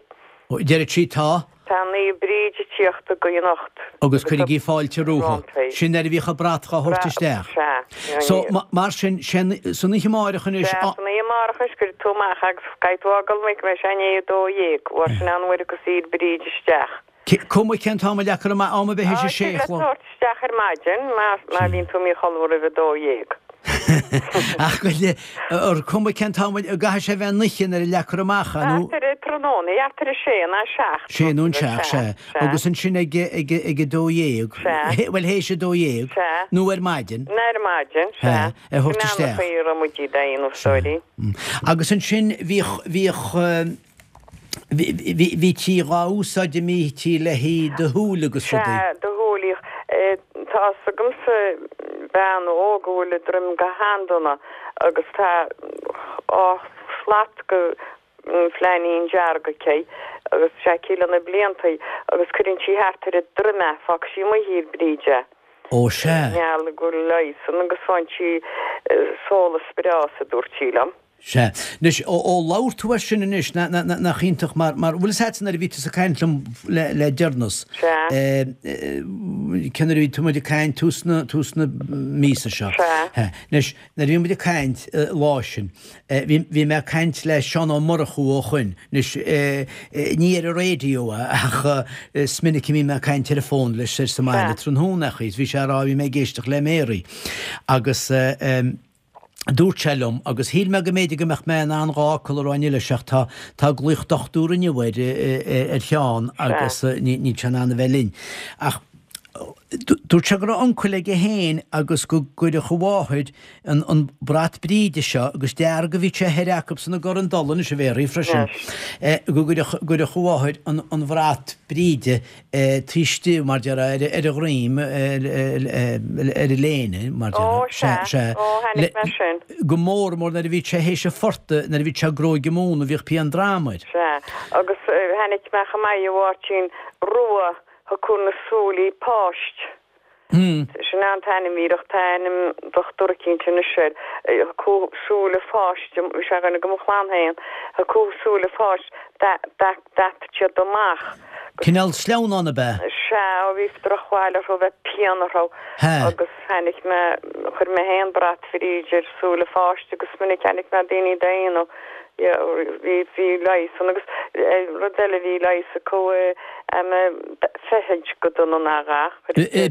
Deireadh sí tá. Tá Naomh Bríd ag tíocht agaibh anocht. Agus cuirigí fáilte rompu. Sin nuair a bhíodh an brat dhá thabhairt isteach. Sea. So, mar sin, san oíche amárach anois. Sea, san oíche amárach anois, cuirfidh tú amach agus caithfidh tú fhágáil amuigh go mbeidh sé i ndiaidh 12, mar sin an uair a thiocfas Bríd isteach. Cuma cén t-am a leagfar amach, am ar bith théis a sé a chlog. Á, tig leat tabhairt isteach ar maidin má bhíonn tú amuigh a chodladh roimh 12. Ach go le, ar cuma cén t-am, an gcaithfidh sé a bheith an oíche nuair a leagfar amach é nó? Thart ar tráthnóna, thart ar a sé nó a seacht. Sé nó an seacht, sea. Agus ansin ag, ag, ag a 12. Sea. Bhuel, théis a 12. Sea. Nó ar maidin. Nó ar maidin, sea. Sea, a thabhairt isteach. Sin an chaoi a raibh muid iad a dhéanamh, sorry. Agus ansin bhíodh, bhíodh, Bhítí dhá úsáid a mbítí le haghaidh do shúil agus rudaí. Sea, do shúil. Tá's agamsa bean óg a bhfuil a droim go han-dona agus tá dhá shlat go flainín dearg aici agus tá sé aici le na bliantaí agus cuireann sí thart ar a droim é, fágfaidh sí amuigh ar Bríd é. Ó sea. Gheall go bhfuil leigheas ann agus faigheann sí sólas breá as, a dúirt sí liom. Sea. Anois, ó, ó labhair tú air sin anois, na, na, na, nach iontach mar, mar, bhfuil fhios a'dsa nuair a bhí tusa ag caint liom le, le deireanas, Sea. eh, eh, cé nuair a bhí tú muid ag caint tús na, tús na míosa seo. Sea. Eh, anois, nuair a bhí muid ag caint, eh, lá sin, eh, bhí, bhí mé ag caint le Seán Ó Murchú ó shoin. Anois, eh, eh, ní ar an raidió é, ach, eh, is minic a bhí mé ag caint ar an bhfón leis ar sa mbaile Sea. tráthnóna, ach, bhí sé a rá, bhí mé ag éisteacht le Mary. Agus, eh, eh, Dúirt sé liom, agus shíl mé go mb'fhéidir go mbeadh mé in ann dhá fhocal a rá inniu leis ach tá, tá glaoch dochtúra inniu air, ar Sheán agus níl sé in ann a bheith linn. Ach dúirt sé go raibh uncail aige féin agus go gcuireadh a mháthair an, an brat Bríde seo, agus dearg a bhí sé thoir acubsan i gCorr an Dola anois a Mhéaraí freisin, go gcuireadh, gcuireadh a mháthair an, an bhrat Bríde taobh istigh, mar déarfá, ar a dhroim, ar a léine, mar déarfá. Ó, sea. Sea. Ó, chonaic mé sin. Go mór mór nuair a bhí sé théis an phortaigh, nuair a bhí sé ag gróigeadh móna, bhíodh pian droma air. Sea. Agus chonaic mé chomh maith, a Mháirtín, rua a cur na súilí páist. Sin an t-ainm díreach, tá ainm dochtúra eicínt anois air. Thiocfadh súile pháiste, bhí sé againn ag mo chlann féin, thiocfadh súile pháiste, d'fheadfadh siad amach. Cineál sleamhnán ab ea? Sea, bhí drochbhail orthu, bheadh pian orthu. Agus chonaic mé, chuir mé féin brat Bhríde ar súile pháiste agus minic chonaic mé daoine dá dhéanamh. Bhí, bhí leigheas ann agus rud eile bhí leigheas acu feithid go dona ná a dhath.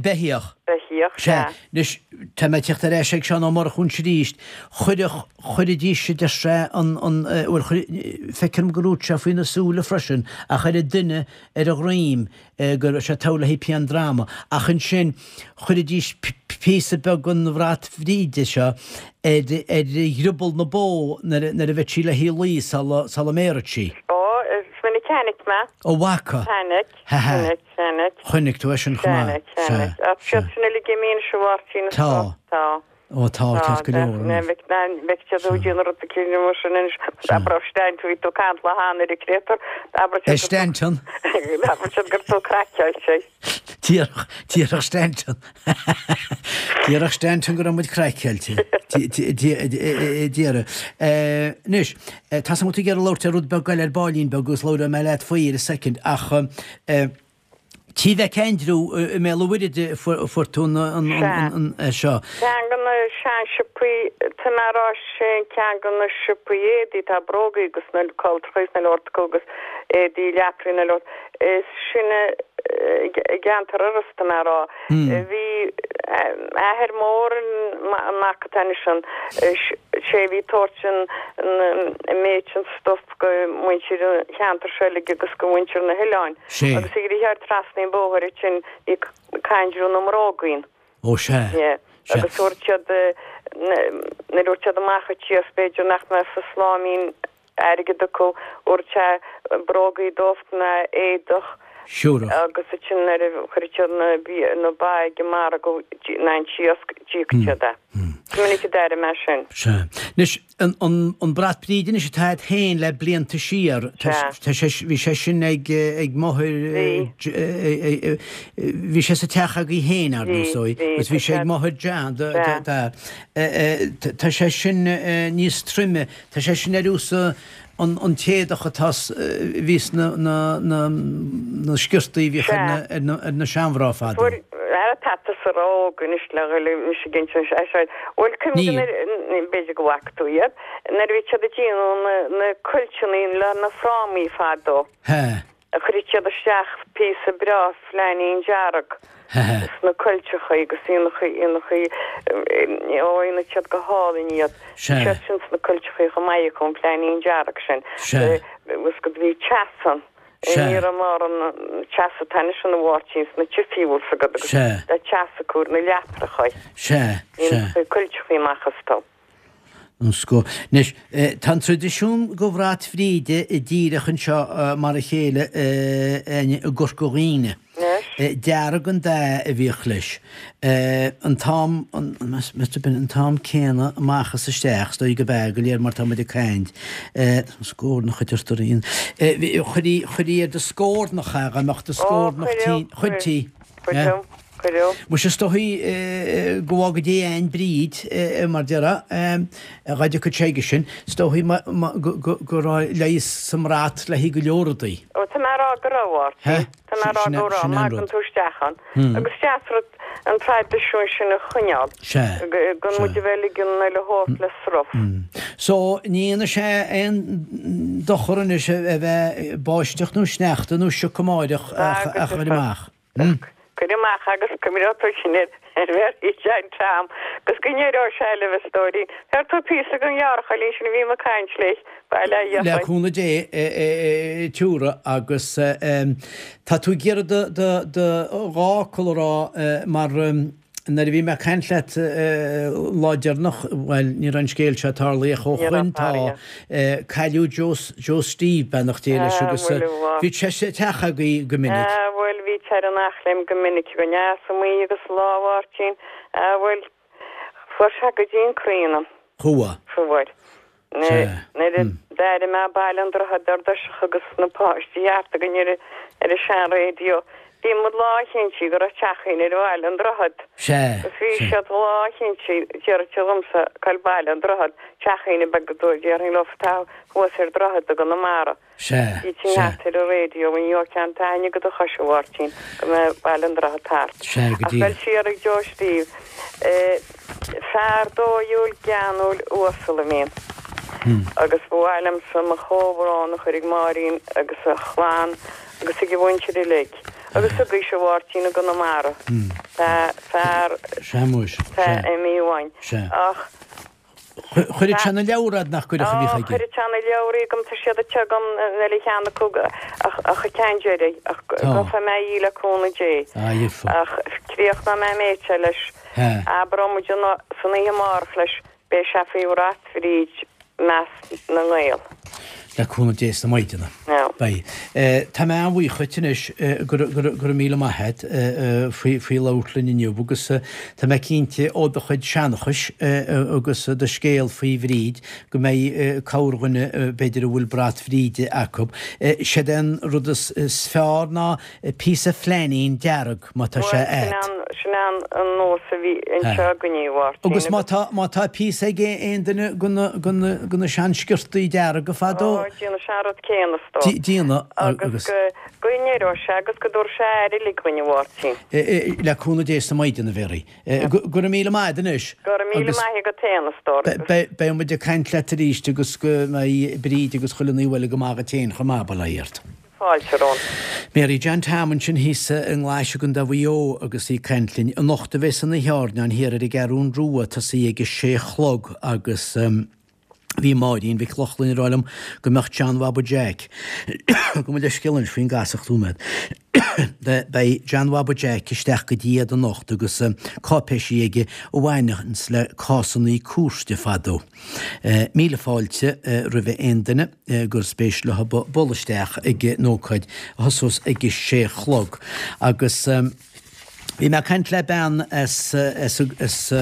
Beithíoch. Beithíoch, sea. Anois, tá mé ag teacht ar ais ag Seán Ó Murchú anois arís. Chuirfeadh, chuiridís, a deir sé, an, an, bhuel, chuir, feicim gur dhúirt sé faoi na súile freisin, ach ar an duine ar a dhroim, go raibh sé togha le haghaidh pian droma. Ach ansin, chuiridís píosa beag den bhrat Bhríde seo ar dhrioball na bó nuair a bheadh sí le haghaidh luí sula mbéarfadh sí. Ó, is minic a chonaic mé. Ó, bhfaca? Chonaic, chonaic, chonaic. Chonaic tú é sin chomh maith. Chonaic, chonaic. Ach siad sin uilig imithe anois a Mháirtín. Tá. Tá. Ó tá, ceart go leor anois. Bheadh siad ag déanamh rud eicínt mar sin anois. Abair Stanton, bhí tú ag caint le hAnna ar an créatúr. Abair siad. Stanton. Abair siad gur tú craiceáilte. Déarfadh, déarfadh Stanton. Déarfadh Stanton go raibh muid craiceáilte. Déarfadh. Anois, tá 's agam go bhfuil tú ag iarraidh labhairt ar rud beag eile ar baillín beag agus labhróidh mé leat faoi ar a soicind ach Tí Mheic Aindriú i mBéal an Mhuirthead a fuair tú an seo. Ceann de na seansiopaí, tá mé a rá sé ceann de na siopaí éadaí, tá brógaí agus na caltrachaí is na leabhartacha agus éadaí leaprairí na leabhar, is sine i gceantar Iorrais tá mé a rá. Bhí athair mór an mac atá anois ann, sé a bhí ag tabhairt an méid sin stuif go muintir an cheantair seo uilig agus go mhuintir na hoileáin. Sea. Agus ag rith thar trasna an bhóthair ansin bhí Aindriú na mBróg ann. Ó sea. Yeah. Sea. Agus thabhairt siad, nuair a thabhairt siad amach an tíos b'fhéidir nach mbeadh sa sláimín airgead acu, thabhairt sé brógaí dóibh ná éadach. Siúrach. Agus ansin nuair a chuireadh siad na bia, na ba ag an margadh ná an t-iasc, d'íocadh siad é. Is minic a d'airigh mé sin. Sea. Anois, An brat Bríde anois atá agat féin le blianta siar, tá sé, bhí sé sin ag máthair, bhí sé sa teach agaibh féin, ar ndóigh, agus bhí sé ag máthair John, tá sé sin níos troime, tá sé sin ar nós an t-éadach atá, bhí sna na sciortaí a bhíodh ar na seanmhná fadó. Ara tá tusa ró-óg anois le dhul mise ag insint é seo. Bhuel cuimhnigh Níl. nuair, b'fhéidir go bhfaca tú iad, nuair a bhí siad ag déanamh na, na cuilteanna le na frámaí fadó. He. Chuireadh siad isteach píosa breá flainín dearg He he. sna cuilteacha agus ionchaí, ionchaí, ó dhéanadh siad go hálainn iad. Sea. Bhí siad sin sna cuilteacha chomh maith acu, an flainín dearg sin. Sea. Agus go bhí teas ann. Sea. Ní raibh mórán teasa atá anois ann a Mháirtín sna tithí bhfuil 's agat agus Sea. le teas acu ar na leaprachaí. Sea, sea. Bhí cuilteachaí amach astu. An scoth. Anois, tá an traidisiún go bhrat Bhríde díreach anseo mar a chéile i gCorca Dhuibhne. Anois. Dearg an dath a bhíodh leis. An t-am, an t-am céanna amach is isteach, is dóigh go b'ea, go léir mar tá muid ag caint. Scórnach a deirtear aon. Chuirí, chuirí ar do scórnach é, dá mbeadh do scórnach tinn, chuirtí. Cuireadh, cuireadh. Muise is dóigh go bhfága Dia againn Bríd, mar déarfá, dá dtiocfadh sé aige sin, is dóigh go raibh leigheas sa mbrat le haghaidh go leor rudaí. Ó, tá mé a rá go raibh, a Mháirtín. Tá mé a rá go raibh, má thagann tú isteach ann. Agus is deas rud an traidisiún sin a choinneáil. Sea. Gan muid a bheith ag ligean an uile shórt le sruth. So, ní dhéanfaidh sé aon dochar anois a bheith báisteach nó sneachta nó sioc amáireach ach cuir amach. Cuir amach agus cuimhneoidh tú sin ar Mhary Jane Tom agus go n-éireoidh sé libh a stóirín. Bheir tú píosa den ghearrchailín sin a bhí mé ag caint léi, bail ó Dhia Le uirthi. cúnamh Dé, tiúrfaidh agus tá tú ag iarraidh do do do dhá fhocal a rá mar nuair a bhí mé ag caint leat lá deireanach, bhuel, ní raibh an scéal seo tarlaithe ó Ní raibh shoin, tá tarlaithe. cailleadh Joe, Joe Steve, beannacht Dé leis, Ah, agus bhuel, a mhac. bhí sé sa teach agaibh go minic. Ah, bhuel, bhí sé ar an Eachléim go minic againn, ah, sa mbaoth agus lá, a Mháirtín, ah, bhuel, fuair sé go dtí an croí ionam. Chuaigh. Fuair. Sea. Nuair a d'airigh mé Baile an Droichid ar dtoiseach agus na páistí thart againn ar ar an sean-raidió, bhí muid lánchinnte go raibh teach againn ar Bhaile an Droichid. Sea. Agus bhí Sea. siad lánchinnte, déarfadh siad liomsa, cá bhfuil Baile an Droichid, teach éinne beag go déarfainn leo tá thuas ar droichead i gConamara. Sea, Bhí sin sea. thart ar an raidió ní raibh ceann taitne go do chois, a Mháirtín, go mbeadh Baile an Droichid thart. Sea, go Ach bhuel díreach. siar ag Joe Steve. Fear dóighiúil, geanúil, uasal a bhí ann. Agus ba mhaith liomsa mo chomhbhrón a chur ag Máirín agus a chlann agus ag a mhuintir uilig. Agus agaibhse, a Mháirtín, i gConamara. Tá fear, Sea, muis, tá sea. imithe uainn. Sea. Ach. Chuireadh sé na leabhra fhad nach gcuirfeadh a bhíodh aige. Chuireadh sé na leabhraí agam, tá siad anseo agam, níl aon cheann acu ach an ceann deiridh, ach gheobhaidh mé í le cúnamh Dé. Ach críochnóidh mé an méid seo leis, abróidh muid san oíche amárach leis, beidh sé faoi bhrat Bhríd i measc na nGael. Le cúnamh Dé is na Maighdeana. Beidh. Tá mé an-bhuíoch dhuit anois, go raibh míle maith agat faoi labhairt linn inniu agus tá mé cinnte ó do chuid seanchais agus do scéal faoi Bhríd go mbeidh corrdhuine b'fhéidir a bhfuil brat Bhríde acu. Séard é an rud is fearr ná píosa flainín dearg má tá sé agat. Sin é an nós a bhí anseo againne, a Mháirtín. Agus má tá, má tá píosa ag aon duine de na sean-sciortaí dearga fadó. Ó, déanadh sé an rud céanna, is dóigh. Déanadh agus. Agus go n-éireoidh sé agus go dtabharfaidh sé aire uilig dhuinn, a Mháirtín. Le cúnamh Dé is na Maighdean, a Mhéaraí. Go raibh míle maith agat anois. Go raibh míle maith agat féin, a stór. Beidh muid ag caint leat arís agus go mbeidh Bríd agus chuile ní uilig go maith agat féin chomh maith, bail ó Dhia ort. Fáilte romhat. Mary John Tom ansin thíos i nGlais i gContae Mhaigh Eo agus í ag caint linn. Anocht a bheas an oíche airneáin thiar ar an gCeathrún Rua, tosaí ag a sé a chlog agus bhí Máirín Mhic Lochlainn ag rá liom go mbeadh John Bhaba Jeaic, gabh mo leithscéal anois faoin gcasacht nóiméad, beidh John Bhaba Jeaic isteach go dtí iad anocht agus cáipéisí aige a bhaineanns le cásannaí cúirte fadó. Míle fáilte roimh aon duine. gur spéis leo bualadh isteach ag an ócáid a thosós ag a sé a chlog. Agus bhí mé ag caint le bean as, as, as,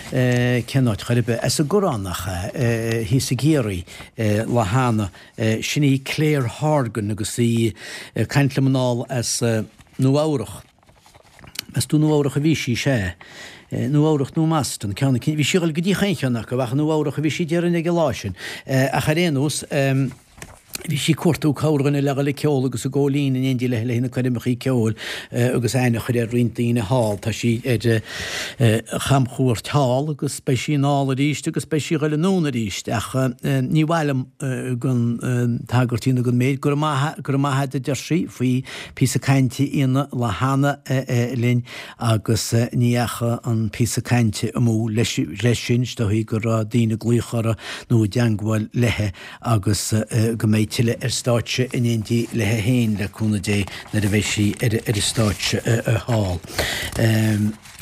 cén áit chor ar bith, as an gCoireán nach ea, thíos i gCiarraí, lá cheana, sin í Claire Horgan agus í ag caint liom anall as Nua Eabhrach. Meas tú Nua Eabhrach a bhí sí, sea. Nua Eabhrach nó mBoston, ceann eicínt. Bhí sí ag dul go dtí chaon cheann acu, ach i Nua Eabhrach a bhí sí déarfainn ag an lá sin. Ach ar aon nós, bhí sí ag cuartú corrdhuine le dhul ag ceol agus ag gabháil fhoinn in éindí léi le na coirmeachaí ceoil agus aithne a chur ar roinnt daoine thall. Tá sí ar chamchuairt thall agus beidh sí anall arís agus beidh sí ag dhul anonn arís. Ach ní mhaith liom gan tagairt a dhéanamh don méid go raibh maith, go raibh maith agat a deir sí faoi Píosa cainte a dhéanamh lá cheana linn agus ní dheachaigh an píosa cainte amú leis sin, is dóichí go raibh daoine ag glaoch uirthi nó i dteangmháil léi agus go mbeidh tuilleadh ar stáitse in éindí léi féin, le cúnamh Dé, nuair a bheidh sí ar an stáitse thall.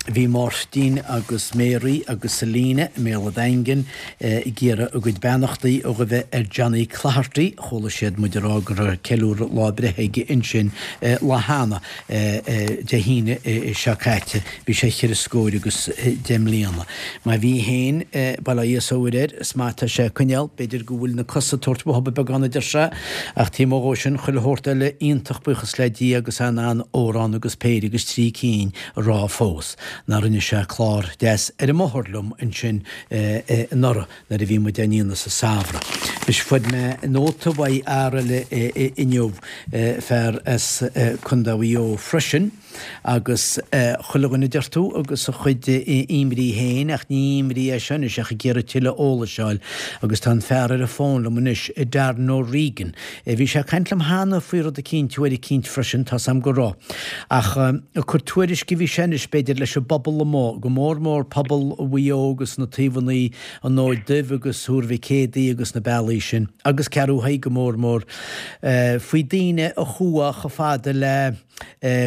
Bhí Máirtín agus Mary agus Selina i mBéal an Daingin ag iarraidh a gcuid beannachtaí a ghoibhe ar Johnny Cloherty. Chuala siad muid ag rá go raibh ceiliúradh lá breithe aige ansin lá cheana, Dé hAoine seo caite. Bhí sé cheithre scóir agus deich mbliana. Má bhí féin, bail ó Dhia is ó Mhuire air, is maith atá sé ag coinneáil. B'fhéidir go bhfuil na cosa ag tabhairt uathu beagán a deir sé, ach taobh amuigh dhó sin, chuile shórt eile iontach buíochas le Dia agus é in ann amhrán agus péire agus trí cinn a rá fós nach rinne sé clár deas ar an mbóthar liom ansin anuraidh nuair a bhí muid á ndéanamh sa samhradh. Anois fuair mé nóta uaidh fhear eile inniu, fear as Contae Mhaigh Eo freisin, agus chuile dhuine deir tú agus a chuid imní féin ach ní imní é seo anois ach ag iarraidh tuilleadh eolais a fháil agus tá an fear ar an bhfón liom anois, Darren O'Regan. Bhí sé ag caint liom cheana faoi rud eicínt uair eicínt freisin, tá's a'm go raibh. Ach ag cur tuairisc a bhí sé anois, b'fhéidir, leis an bpobal amuigh, go mór mór pobal Mhaigh Eo agus na taobhannaí, an Fhóid Duibh agus Thuar Mhic Éadaigh agus na bealaí sin, agus Ceathrú Thaidhg go mór mór, faoi daoine a chuaigh chomh fada le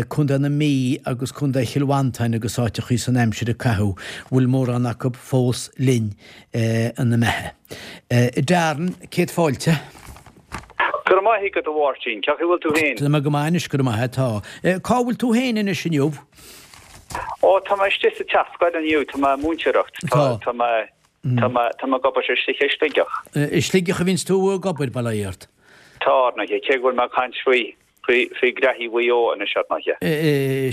Contae na Mí agus Contae Chill Mhantáin agus áiteachaí san aimsir a caitheadh, bhfuil mórán acu fós linn ina mbeatha. Darren, céad fáilte. Go raibh maith agat a Mháirtín. Cén chaoi a bhfuil tú féin? Tá mé go maith anois, go raibh maith agat. Tá. Cá bhfuil tú féin anois inniu? Ó, tá mé istigh sa teach scoile inniu, tá mé ag múinteoireacht. Tá, tá mé, tá mé, tá mé ag obair istigh i Sligeach. I Sligeach a bhíonns tú ag obair, bail ó Dhia ort. Tá, ar ndóighe, cé go bhfuil mé ag caint faoi, faoi, faoi ghraithí Mhaigh Eo anois, ar ndóighe.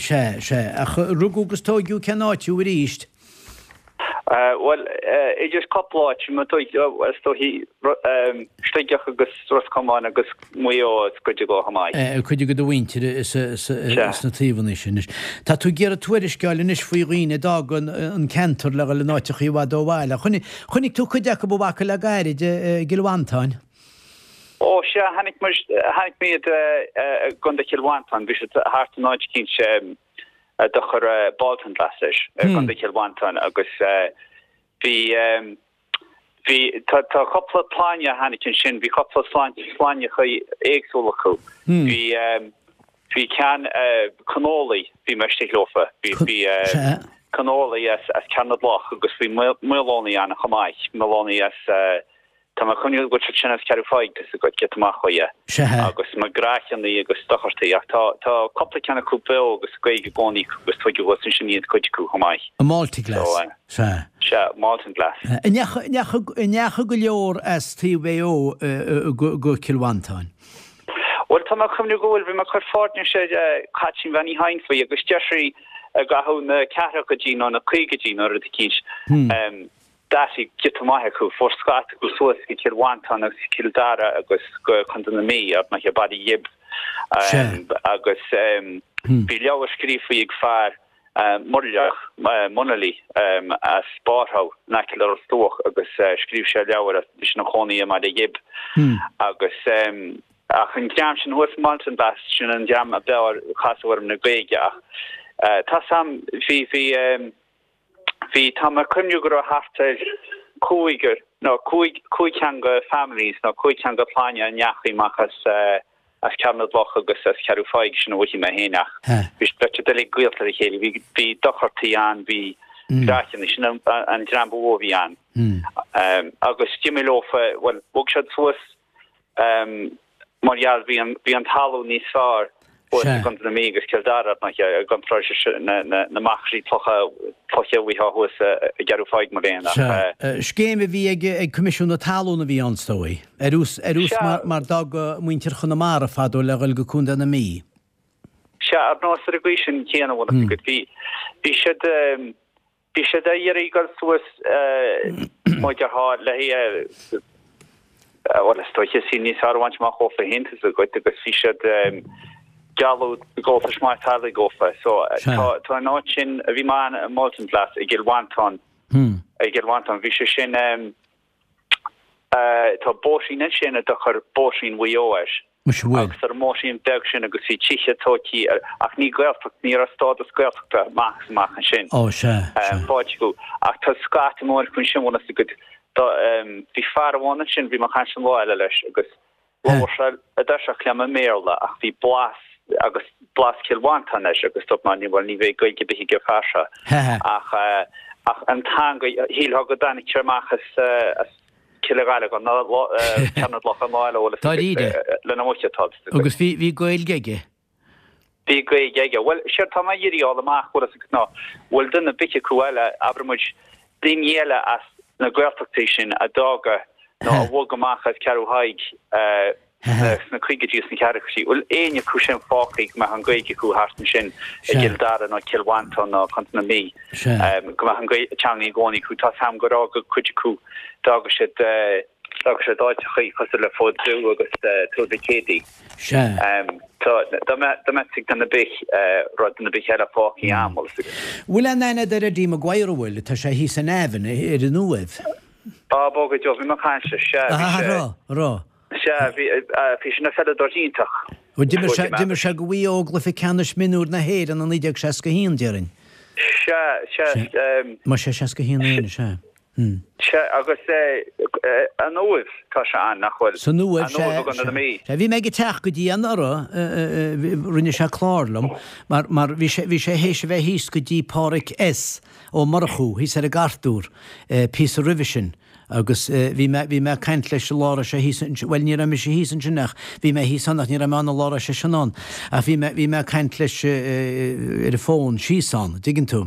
Sea, sea. Ach rugadh agus tóigeadh cén áit thú arís? Bhuel, idir cúpla áit, is dóichí Sligeach agus Ros Comáin agus Maigh Eo is cuid acu chomh maith. Cuid de do mhuintir sna taobhanna sin anois. Tá tú ag iarraidh tuairisc a fháil anois faoi dhaoine a d'fhág an ceantar le dhul in áiteachaí i bhfad ó bhaile. Chonaic tú cuid acu a bhfaca le gairid i gCill Mhantáin? Ó, sea, chonaic muid, chonaic mé iad i gContae Chill Mhantáin, bhí siad thart in áit eicínt a dtugtar Baltinglass air, i gContae Chill Mhantáin agus bhí, bhí, tá, tá cúpla clainne a tháinig ansin, bhí cúpla sloinneacha éagsúla acu. Bhí, bhí ceann, Connolly, bhí mé istigh leofa, bhí, bhí Connolly as, as Cearn na gCloch agus bhí Moloney ann chomh maith, Moloney as. Tá mé ag cuimhniú go bhfuil siad sin as Ceathrú Thaidhg, tá 'fhios agat, giota amach uaidh. Sea. Agus McGrathianaí agus Dochartaí, ach tá, tá cúpla ceann acu beo agus Gaeilge i gcónaí acu agus tuigeadh thuas ansin iad cuid acu chomh maith. I Maltaglass. So, Sea. Sea, Maltenglass. An ndeachaigh, an ndeachaigh, an ndeachaigh go leor as taobh Mhaigh Eo go, go Cill Mhantáin? Bhuel, tá mé ag cuimhniú go bhfuil, bhí mé ag cur fairnéis ar Chaitlín Bhean Uí Chadhain faoi agus deir sí i gcaitheamh na ceathrachaidí nó na caogaidí nó rud eicínt, D'aistrigh giota maith acu, fuair scata acu suas go Cill Mhantáin agus Cill Dara agus go Contae na Mí, ar ndóighe Baile Ghib. Agus bhí leabhar scríofa ag fear Muirleach, Munnelly, as Barrhouse in aice le Ros Dumhach agus scríobh sé leabhar as, bhí sé ina chónaí i mBaile Ghib. Agus ach an dream sin thuas i Maltenglass, sin an dream ab fhearr a casadh orm le Gaeilge ach tá 's a'm, bhí, bhí, Bhí, tá mé ag cuimhniú go raibh thart ar cúigear, nó cúig, cúig theanga families, nó cúig theanga clainne a ndeachaigh amach as, as Ceathrú na gCloch agus as Ceathrú Thaidhg, sin a mhothaigh mé féin ach bhí siad beirt uilig gaolta le chéile, bhí, bhí Dochartaí ann, bhí Grathianaí, sin an, an dream ba mhó a bhí ann. Agus d'imigh leofa, bhuel, bhog siad suas Mar gheall, bhí an, bhí an talamh níos fearr thuas i gContae na Mí agus Cill Dara, ar ndóighe, i gcomparáid leis na, na, na machairí clocha, cloiche a bhíodh thuas i gCeathrú Thaidhg mar aon ach. Sea. Scéim a bhí ag, ag Coimisiún na Talún a bhí ann, is dóigh. Ar nós, ar nós mar, mar d'fhág muintir Chonamara fadó le dhul go Contae na Mí. Sea, ar nós ar an gcaoi sin chéanna, bhfuil a fhios agat, bhí, bhí siad, Bhí siad ag iarraidh dul suas mar a déarfá le haghaidh, bhuel is dóiche saol níos fearr a bhaint amach dhófa féin tá 'fhios agat agus bhí siad gealladh gabháltais maith teaghlaigh dhófa. So tá tá an áit sin a bhí mé ann i Maltenglass i gCill Mhantáin, i gCill Mhantáin bhí sé sin tá bóithrín ansin a dtugtar Bóithrín Mhaigh Eo air. Muise bhfuil. Agus ar an mbóithrín beag sin agus bhí tithe tóigthe ar, ach ní Gaeltacht, ní raibh stádas Gaeltachta amach is amach ansin. Ó, sea, sea. Faighte acu. Ach tá scata mór acu ansin, bhfuil a fhios agat, do, bhí fear amháin ansin, bhí mé ag caint an lá eile leis agus labhair sé i dtoiseach liom i mBéarla ach bhí blas agus blas Chill Mhantáin air agus dúirt mé, ní, bhuel, ní bheidh Gaeilge ar bith ag an fear seo. Ach, ach an teanga, shílfeá go dtáinig sé amach as, as, Cill a' Ghallaigh an Ceathrú na gCloch an lá eile bhfuil Dáiríre. lena mhuice atá Agus bhí bhí Gaeilge aige. Bhí Gaeilge aige. Bhuel, séard tá mé ag iarraidh fháil amach, bhfuil fhios agat, ná bhfuil duine ar bith acu eile, abraigh muid, daoine eile as na Gaeltachtaí sin a d'fhága nó a bhog amach as Ceathrú Thaidhg sna caogaidí is sna ceathrachaidí, bhfuil éinne acu sin fágtha go mbeadh an Ghaeilge acu thart ansin i gCill Dara nó Cill Mhantáin nó Contae na Mí, go mbeadh an teanga i gcónaí acu. Tá 's a'm gur fhága cuid acu, d'fhága siad, d'fhága siad áiteachaí cosúil le Fód Dubh agus Tuar Mhic Éadaigh. Tá, dá mbeadh, dá mbeadh ag duine ar bith, raibh duine ar bith eile fágtha ann, bhfuil 'fhios agat. Bhfuil aon aithne agat ar Eddie Maguire, an bhfuil? Tá sé thíos in Navan, ar an Uaimh. Á, bó go deo, bhí mé ag caint leis, sea, bhí sé. An raibh, an raibh? Sea, bhí, bhí sé ina pheileadóir iontach. Ó, d'imir sé, d'imir sé do Mhaigh Eo i gcluiche ceannais mionúir na hÉireann i 1961, déarfainn. Sea, sea. Más é 61 é, sea. Sea, agus an Uaimh, tá sé ann, nach bhfuil? San Uaimh, sea, An Uaimh i gContae na Mí. Sea, bhí mé ag a teach go dtí anuraidh, rinne sé clár liom, mar, mar bhí sé, bhí sé théis a bheith thíos go dtí Páraic S. Ó Murchú, thíos ar an gCartúr, píosa roimhe sin. Agus bhí mé, bhí mé ag caint leis an lá a raibh sé thíos ansin, bhuel ní raibh mise thíos ansin ach bhí mé thíos ann ach ní raibh mé ann an lá a raibh seisean ann. Ach bhí mé, bhí mé ag caint leis ar an bhfón síos ann, an dtuigeann tú.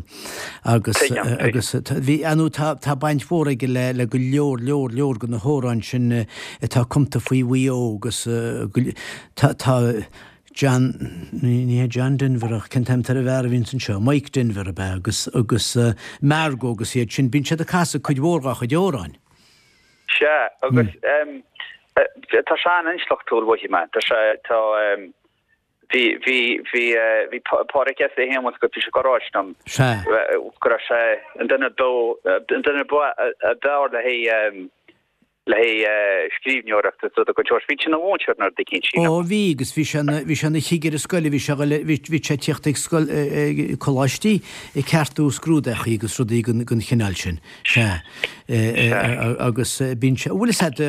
Agus, agus bhí, ar ndóigh tá, tá baint mhór aige le, le go leor, leor, leor de na hamhráin sin atá cumta faoi Mhaigh Eo agus tá, tá, John, ní hé John Denver ach cén t-ainm atá ar an bhfear a bhíonns anseo, Mike Denver ab ea, agus, agus Margo agus iad sin, bíonn siad ag casadh cuid mhór dhá chuid amhráin. Sea, agus tá sé an-intleachtúil, mhothaigh mé. Tá sé, tá, bhí, bhí, bhí, bhí Pádraic S. é féin bhfuil a fhios agat, bhí sé ag ráit liom Sea. go raibh sé an duine ba, an duine ba, ab fhearr le haghaidh, le haghaidh scríbhneoireacht is rud a gcuid Bhí sé ina mhúinteoir nó rud eicínt, sílim. Ó bhí, agus bhí sé ina, bhí sé ina chigire scoile, bhí sé a ghoil, bhí, bhí sé ag tíocht ag scoil, ag coláistí ag ceartú scrúdachaí agus rudaí den, den chineál sin. Sea. Agus bíonn sé, bhfuil fhios a'd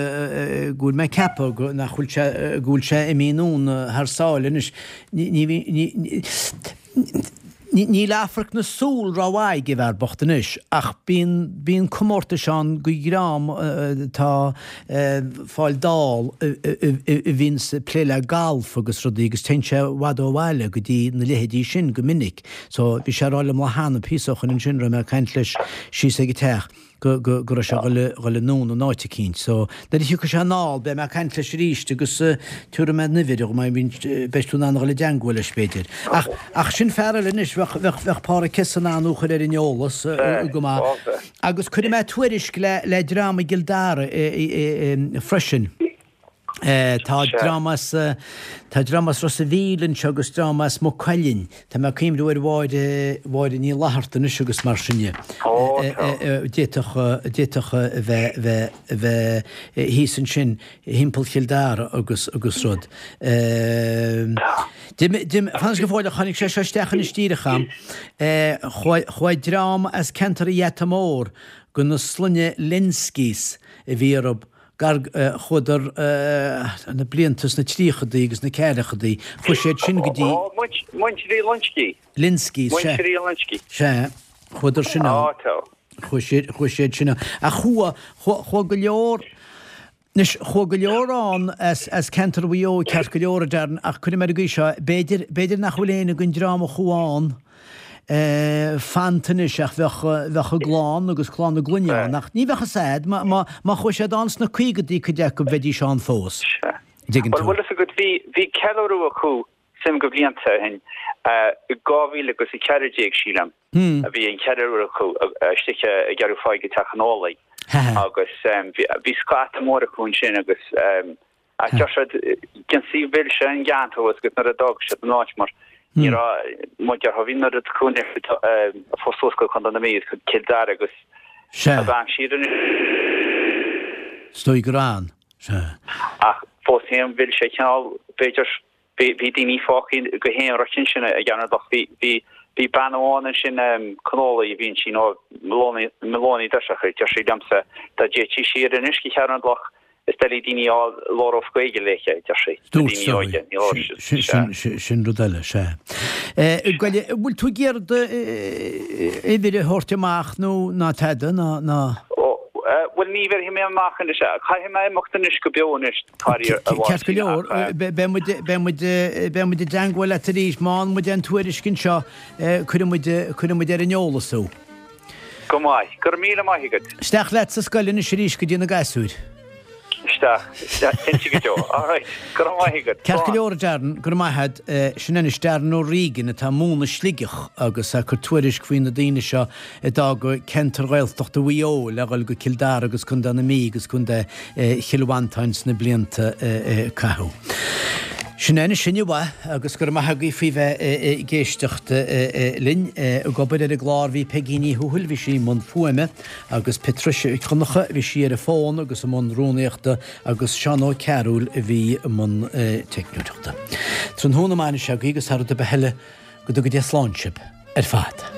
go bhfuil mé ag ceapadh go, nach bhfuil sé, go bhfuil sé imithe anonn thar sáile anois. Ní, ní, ní, ní, ní. Níl afraic na súl rómhaith ag an bhfear bocht anois, ach bíonn, bíonn comórtais ann go dhream atá fáil dall a bhíonns ag plé le galf agus rudaí agus téann sé i bhfad ó bhaile go dtí na leithéidí sin go minic. So bhí sé ag rá liom lá cheana píosa ó shoin ansin, raibh mé ag caint leis síos ag an teach. go, go, go raibh sé ag dhul anonn in áit eicínt. So, nuair a thiocfaidh sé anall, beidh mé ag caint leis arís agus tabharfaidh mé an uimhir dhó, beidh tú in ann a dhul i dteangmháil leis, b'fhéidir. Ach, ach sin fear eile anois, bheadh, bheadh, bheadh Páraic Hesse in ann thú a chur ar an eolas go maith. Agus cuirfidh mé tuairisc le, le dream i gCill Dara freisin. Tá dream as Tá dream as Ros a' Mhíl anseo agus dream as Maigh Cuilinn. Tá mé ag cuimhniú ar Mháire Mháire Ní Fhlatharta anois agus mar sin de. D'fhéadfadh d'fhéadfadh a bheith bheith a bheith thíos ansin thimpeall Chill Dara agus agus rud. Dim fan go fóill tháinig sé seo isteach anois díreach a'm. Chuaigh chuaigh dream as ceantar an Gheata Mór go na sloinne Lenskys a bhí orthu gar chuadar na blianta sna tríochadaí agus na ceathrachaidí, chuaigh siad sin go dtí. Ó, Muintir Uí Loinsigh. Lynskey, sea. Muintir Uí Loinsigh. Sea, chuadar sin ann. Á, tá. Chuaigh siad, chuaigh siad sin ann. Ach chuaigh, chuaigh, chuaigh go leor, anois, chuaigh go leor ann as, as ceantar Mhaigh Eo ceart go leor, a Darren, ach cuirfidh mé ar an gcaoi seo, b'fhéidir, b'fhéidir nach bhfuil éinne den dream a chuaigh ann, fanta anois ach bheadh, bheadh a gclann agus clann a gclainne ann ach ní bheadh fhios a'd, má, má, má chuaigh siad ann sna caogadaí cuid acu bheidís ann fós. Sea. Dtuigeann Bhuel, tú. bhfuil fhios agat, bhí, bhí ceiliúradh acu suim go bhlianta ó shin, i 2014 sílim, a bhí an ceiliúradh acu istigh i gCeathrú Pháidí i dTeach an Ólaigh agus bhí, bhí scata mór acu ansin agus, Ach deir siad, d'ionsaí mhill sé an gceantar thuas agus nuair a d'fhág siad an áit mar ní raibh mar déarfá bhí an oiread acu a fós suas go Contae na Mí agus go Cill Dara agus Sea. a bhean siar an Is dóigh gur ann. Sea. Ach fós féin mhill sé cineál b'fhéidir bhí bhí daoine fágtha go haonraic ansin i gCeatharlach bhí bhí bhí bean amháin ansin Connolly a bhí ansin ó Maloney Maloney deir deir sí liomsa dá dtéití siar anois go Ceatharlach Is doiligh daoine a fháil labhródh Gaeilge léithe, a deir sí. Na Dúirt daoine óige, ní labhróidh siad. Sea. Sin rud eile, sea. Bhuel, an bhfuil tú ag iarraidh uimhir a thabhairt amach nó ná tada, ná, ná. Ó, bhuel, ní bhéarfaidh mé amach anois. Caithfidh mé imeacht anois go beo anois, faraor, a Ceart go Mháirtín, leor, ach. beidh muid, beidh muid, beidh muid i dteangmháil leat arís. Má fhaigheann muid aon tuairisc anseo, cuirfidh muid, cuirfidh muid ar an eolas thú. Go maith. Go raibh míle maith agat. Isteach leat sa scoil anois arís go dtí na gasúir. Isteach. Isteach. Cinnte go deo. All right. Go raibh maith agat. Ceart go leor, a Darren. Go raibh maith agat. Sin anois Darren O'Regan atá ag múineadh i Sligeach agus ag cur tuairisc faoi na daoine seo a d'fhág ceantar Ghaeltachta Mhaigh Eo le dhul go Cill Dara agus Contae na Mí agus Contae Chill Mhantáin sna blianta a caitheadh. Sin é anois inniu é agus go raibh maith agaibh faoi bheith ag éisteacht linn. Ag obair ar an gclár bhí Peigí Ní Thuathail, bhí sí i mbun fuaime, agus Patricia Mhic Dhonncha, bhí sí ar an bhfón agus i mbun rúnaíochta, agus Seán Ó Cearúil a bhí i mbun teicneoireachta. Tráthnóna maith anois agaibh agus thar rud ar bith eile, go dtuga Dia slán sibh ar fad.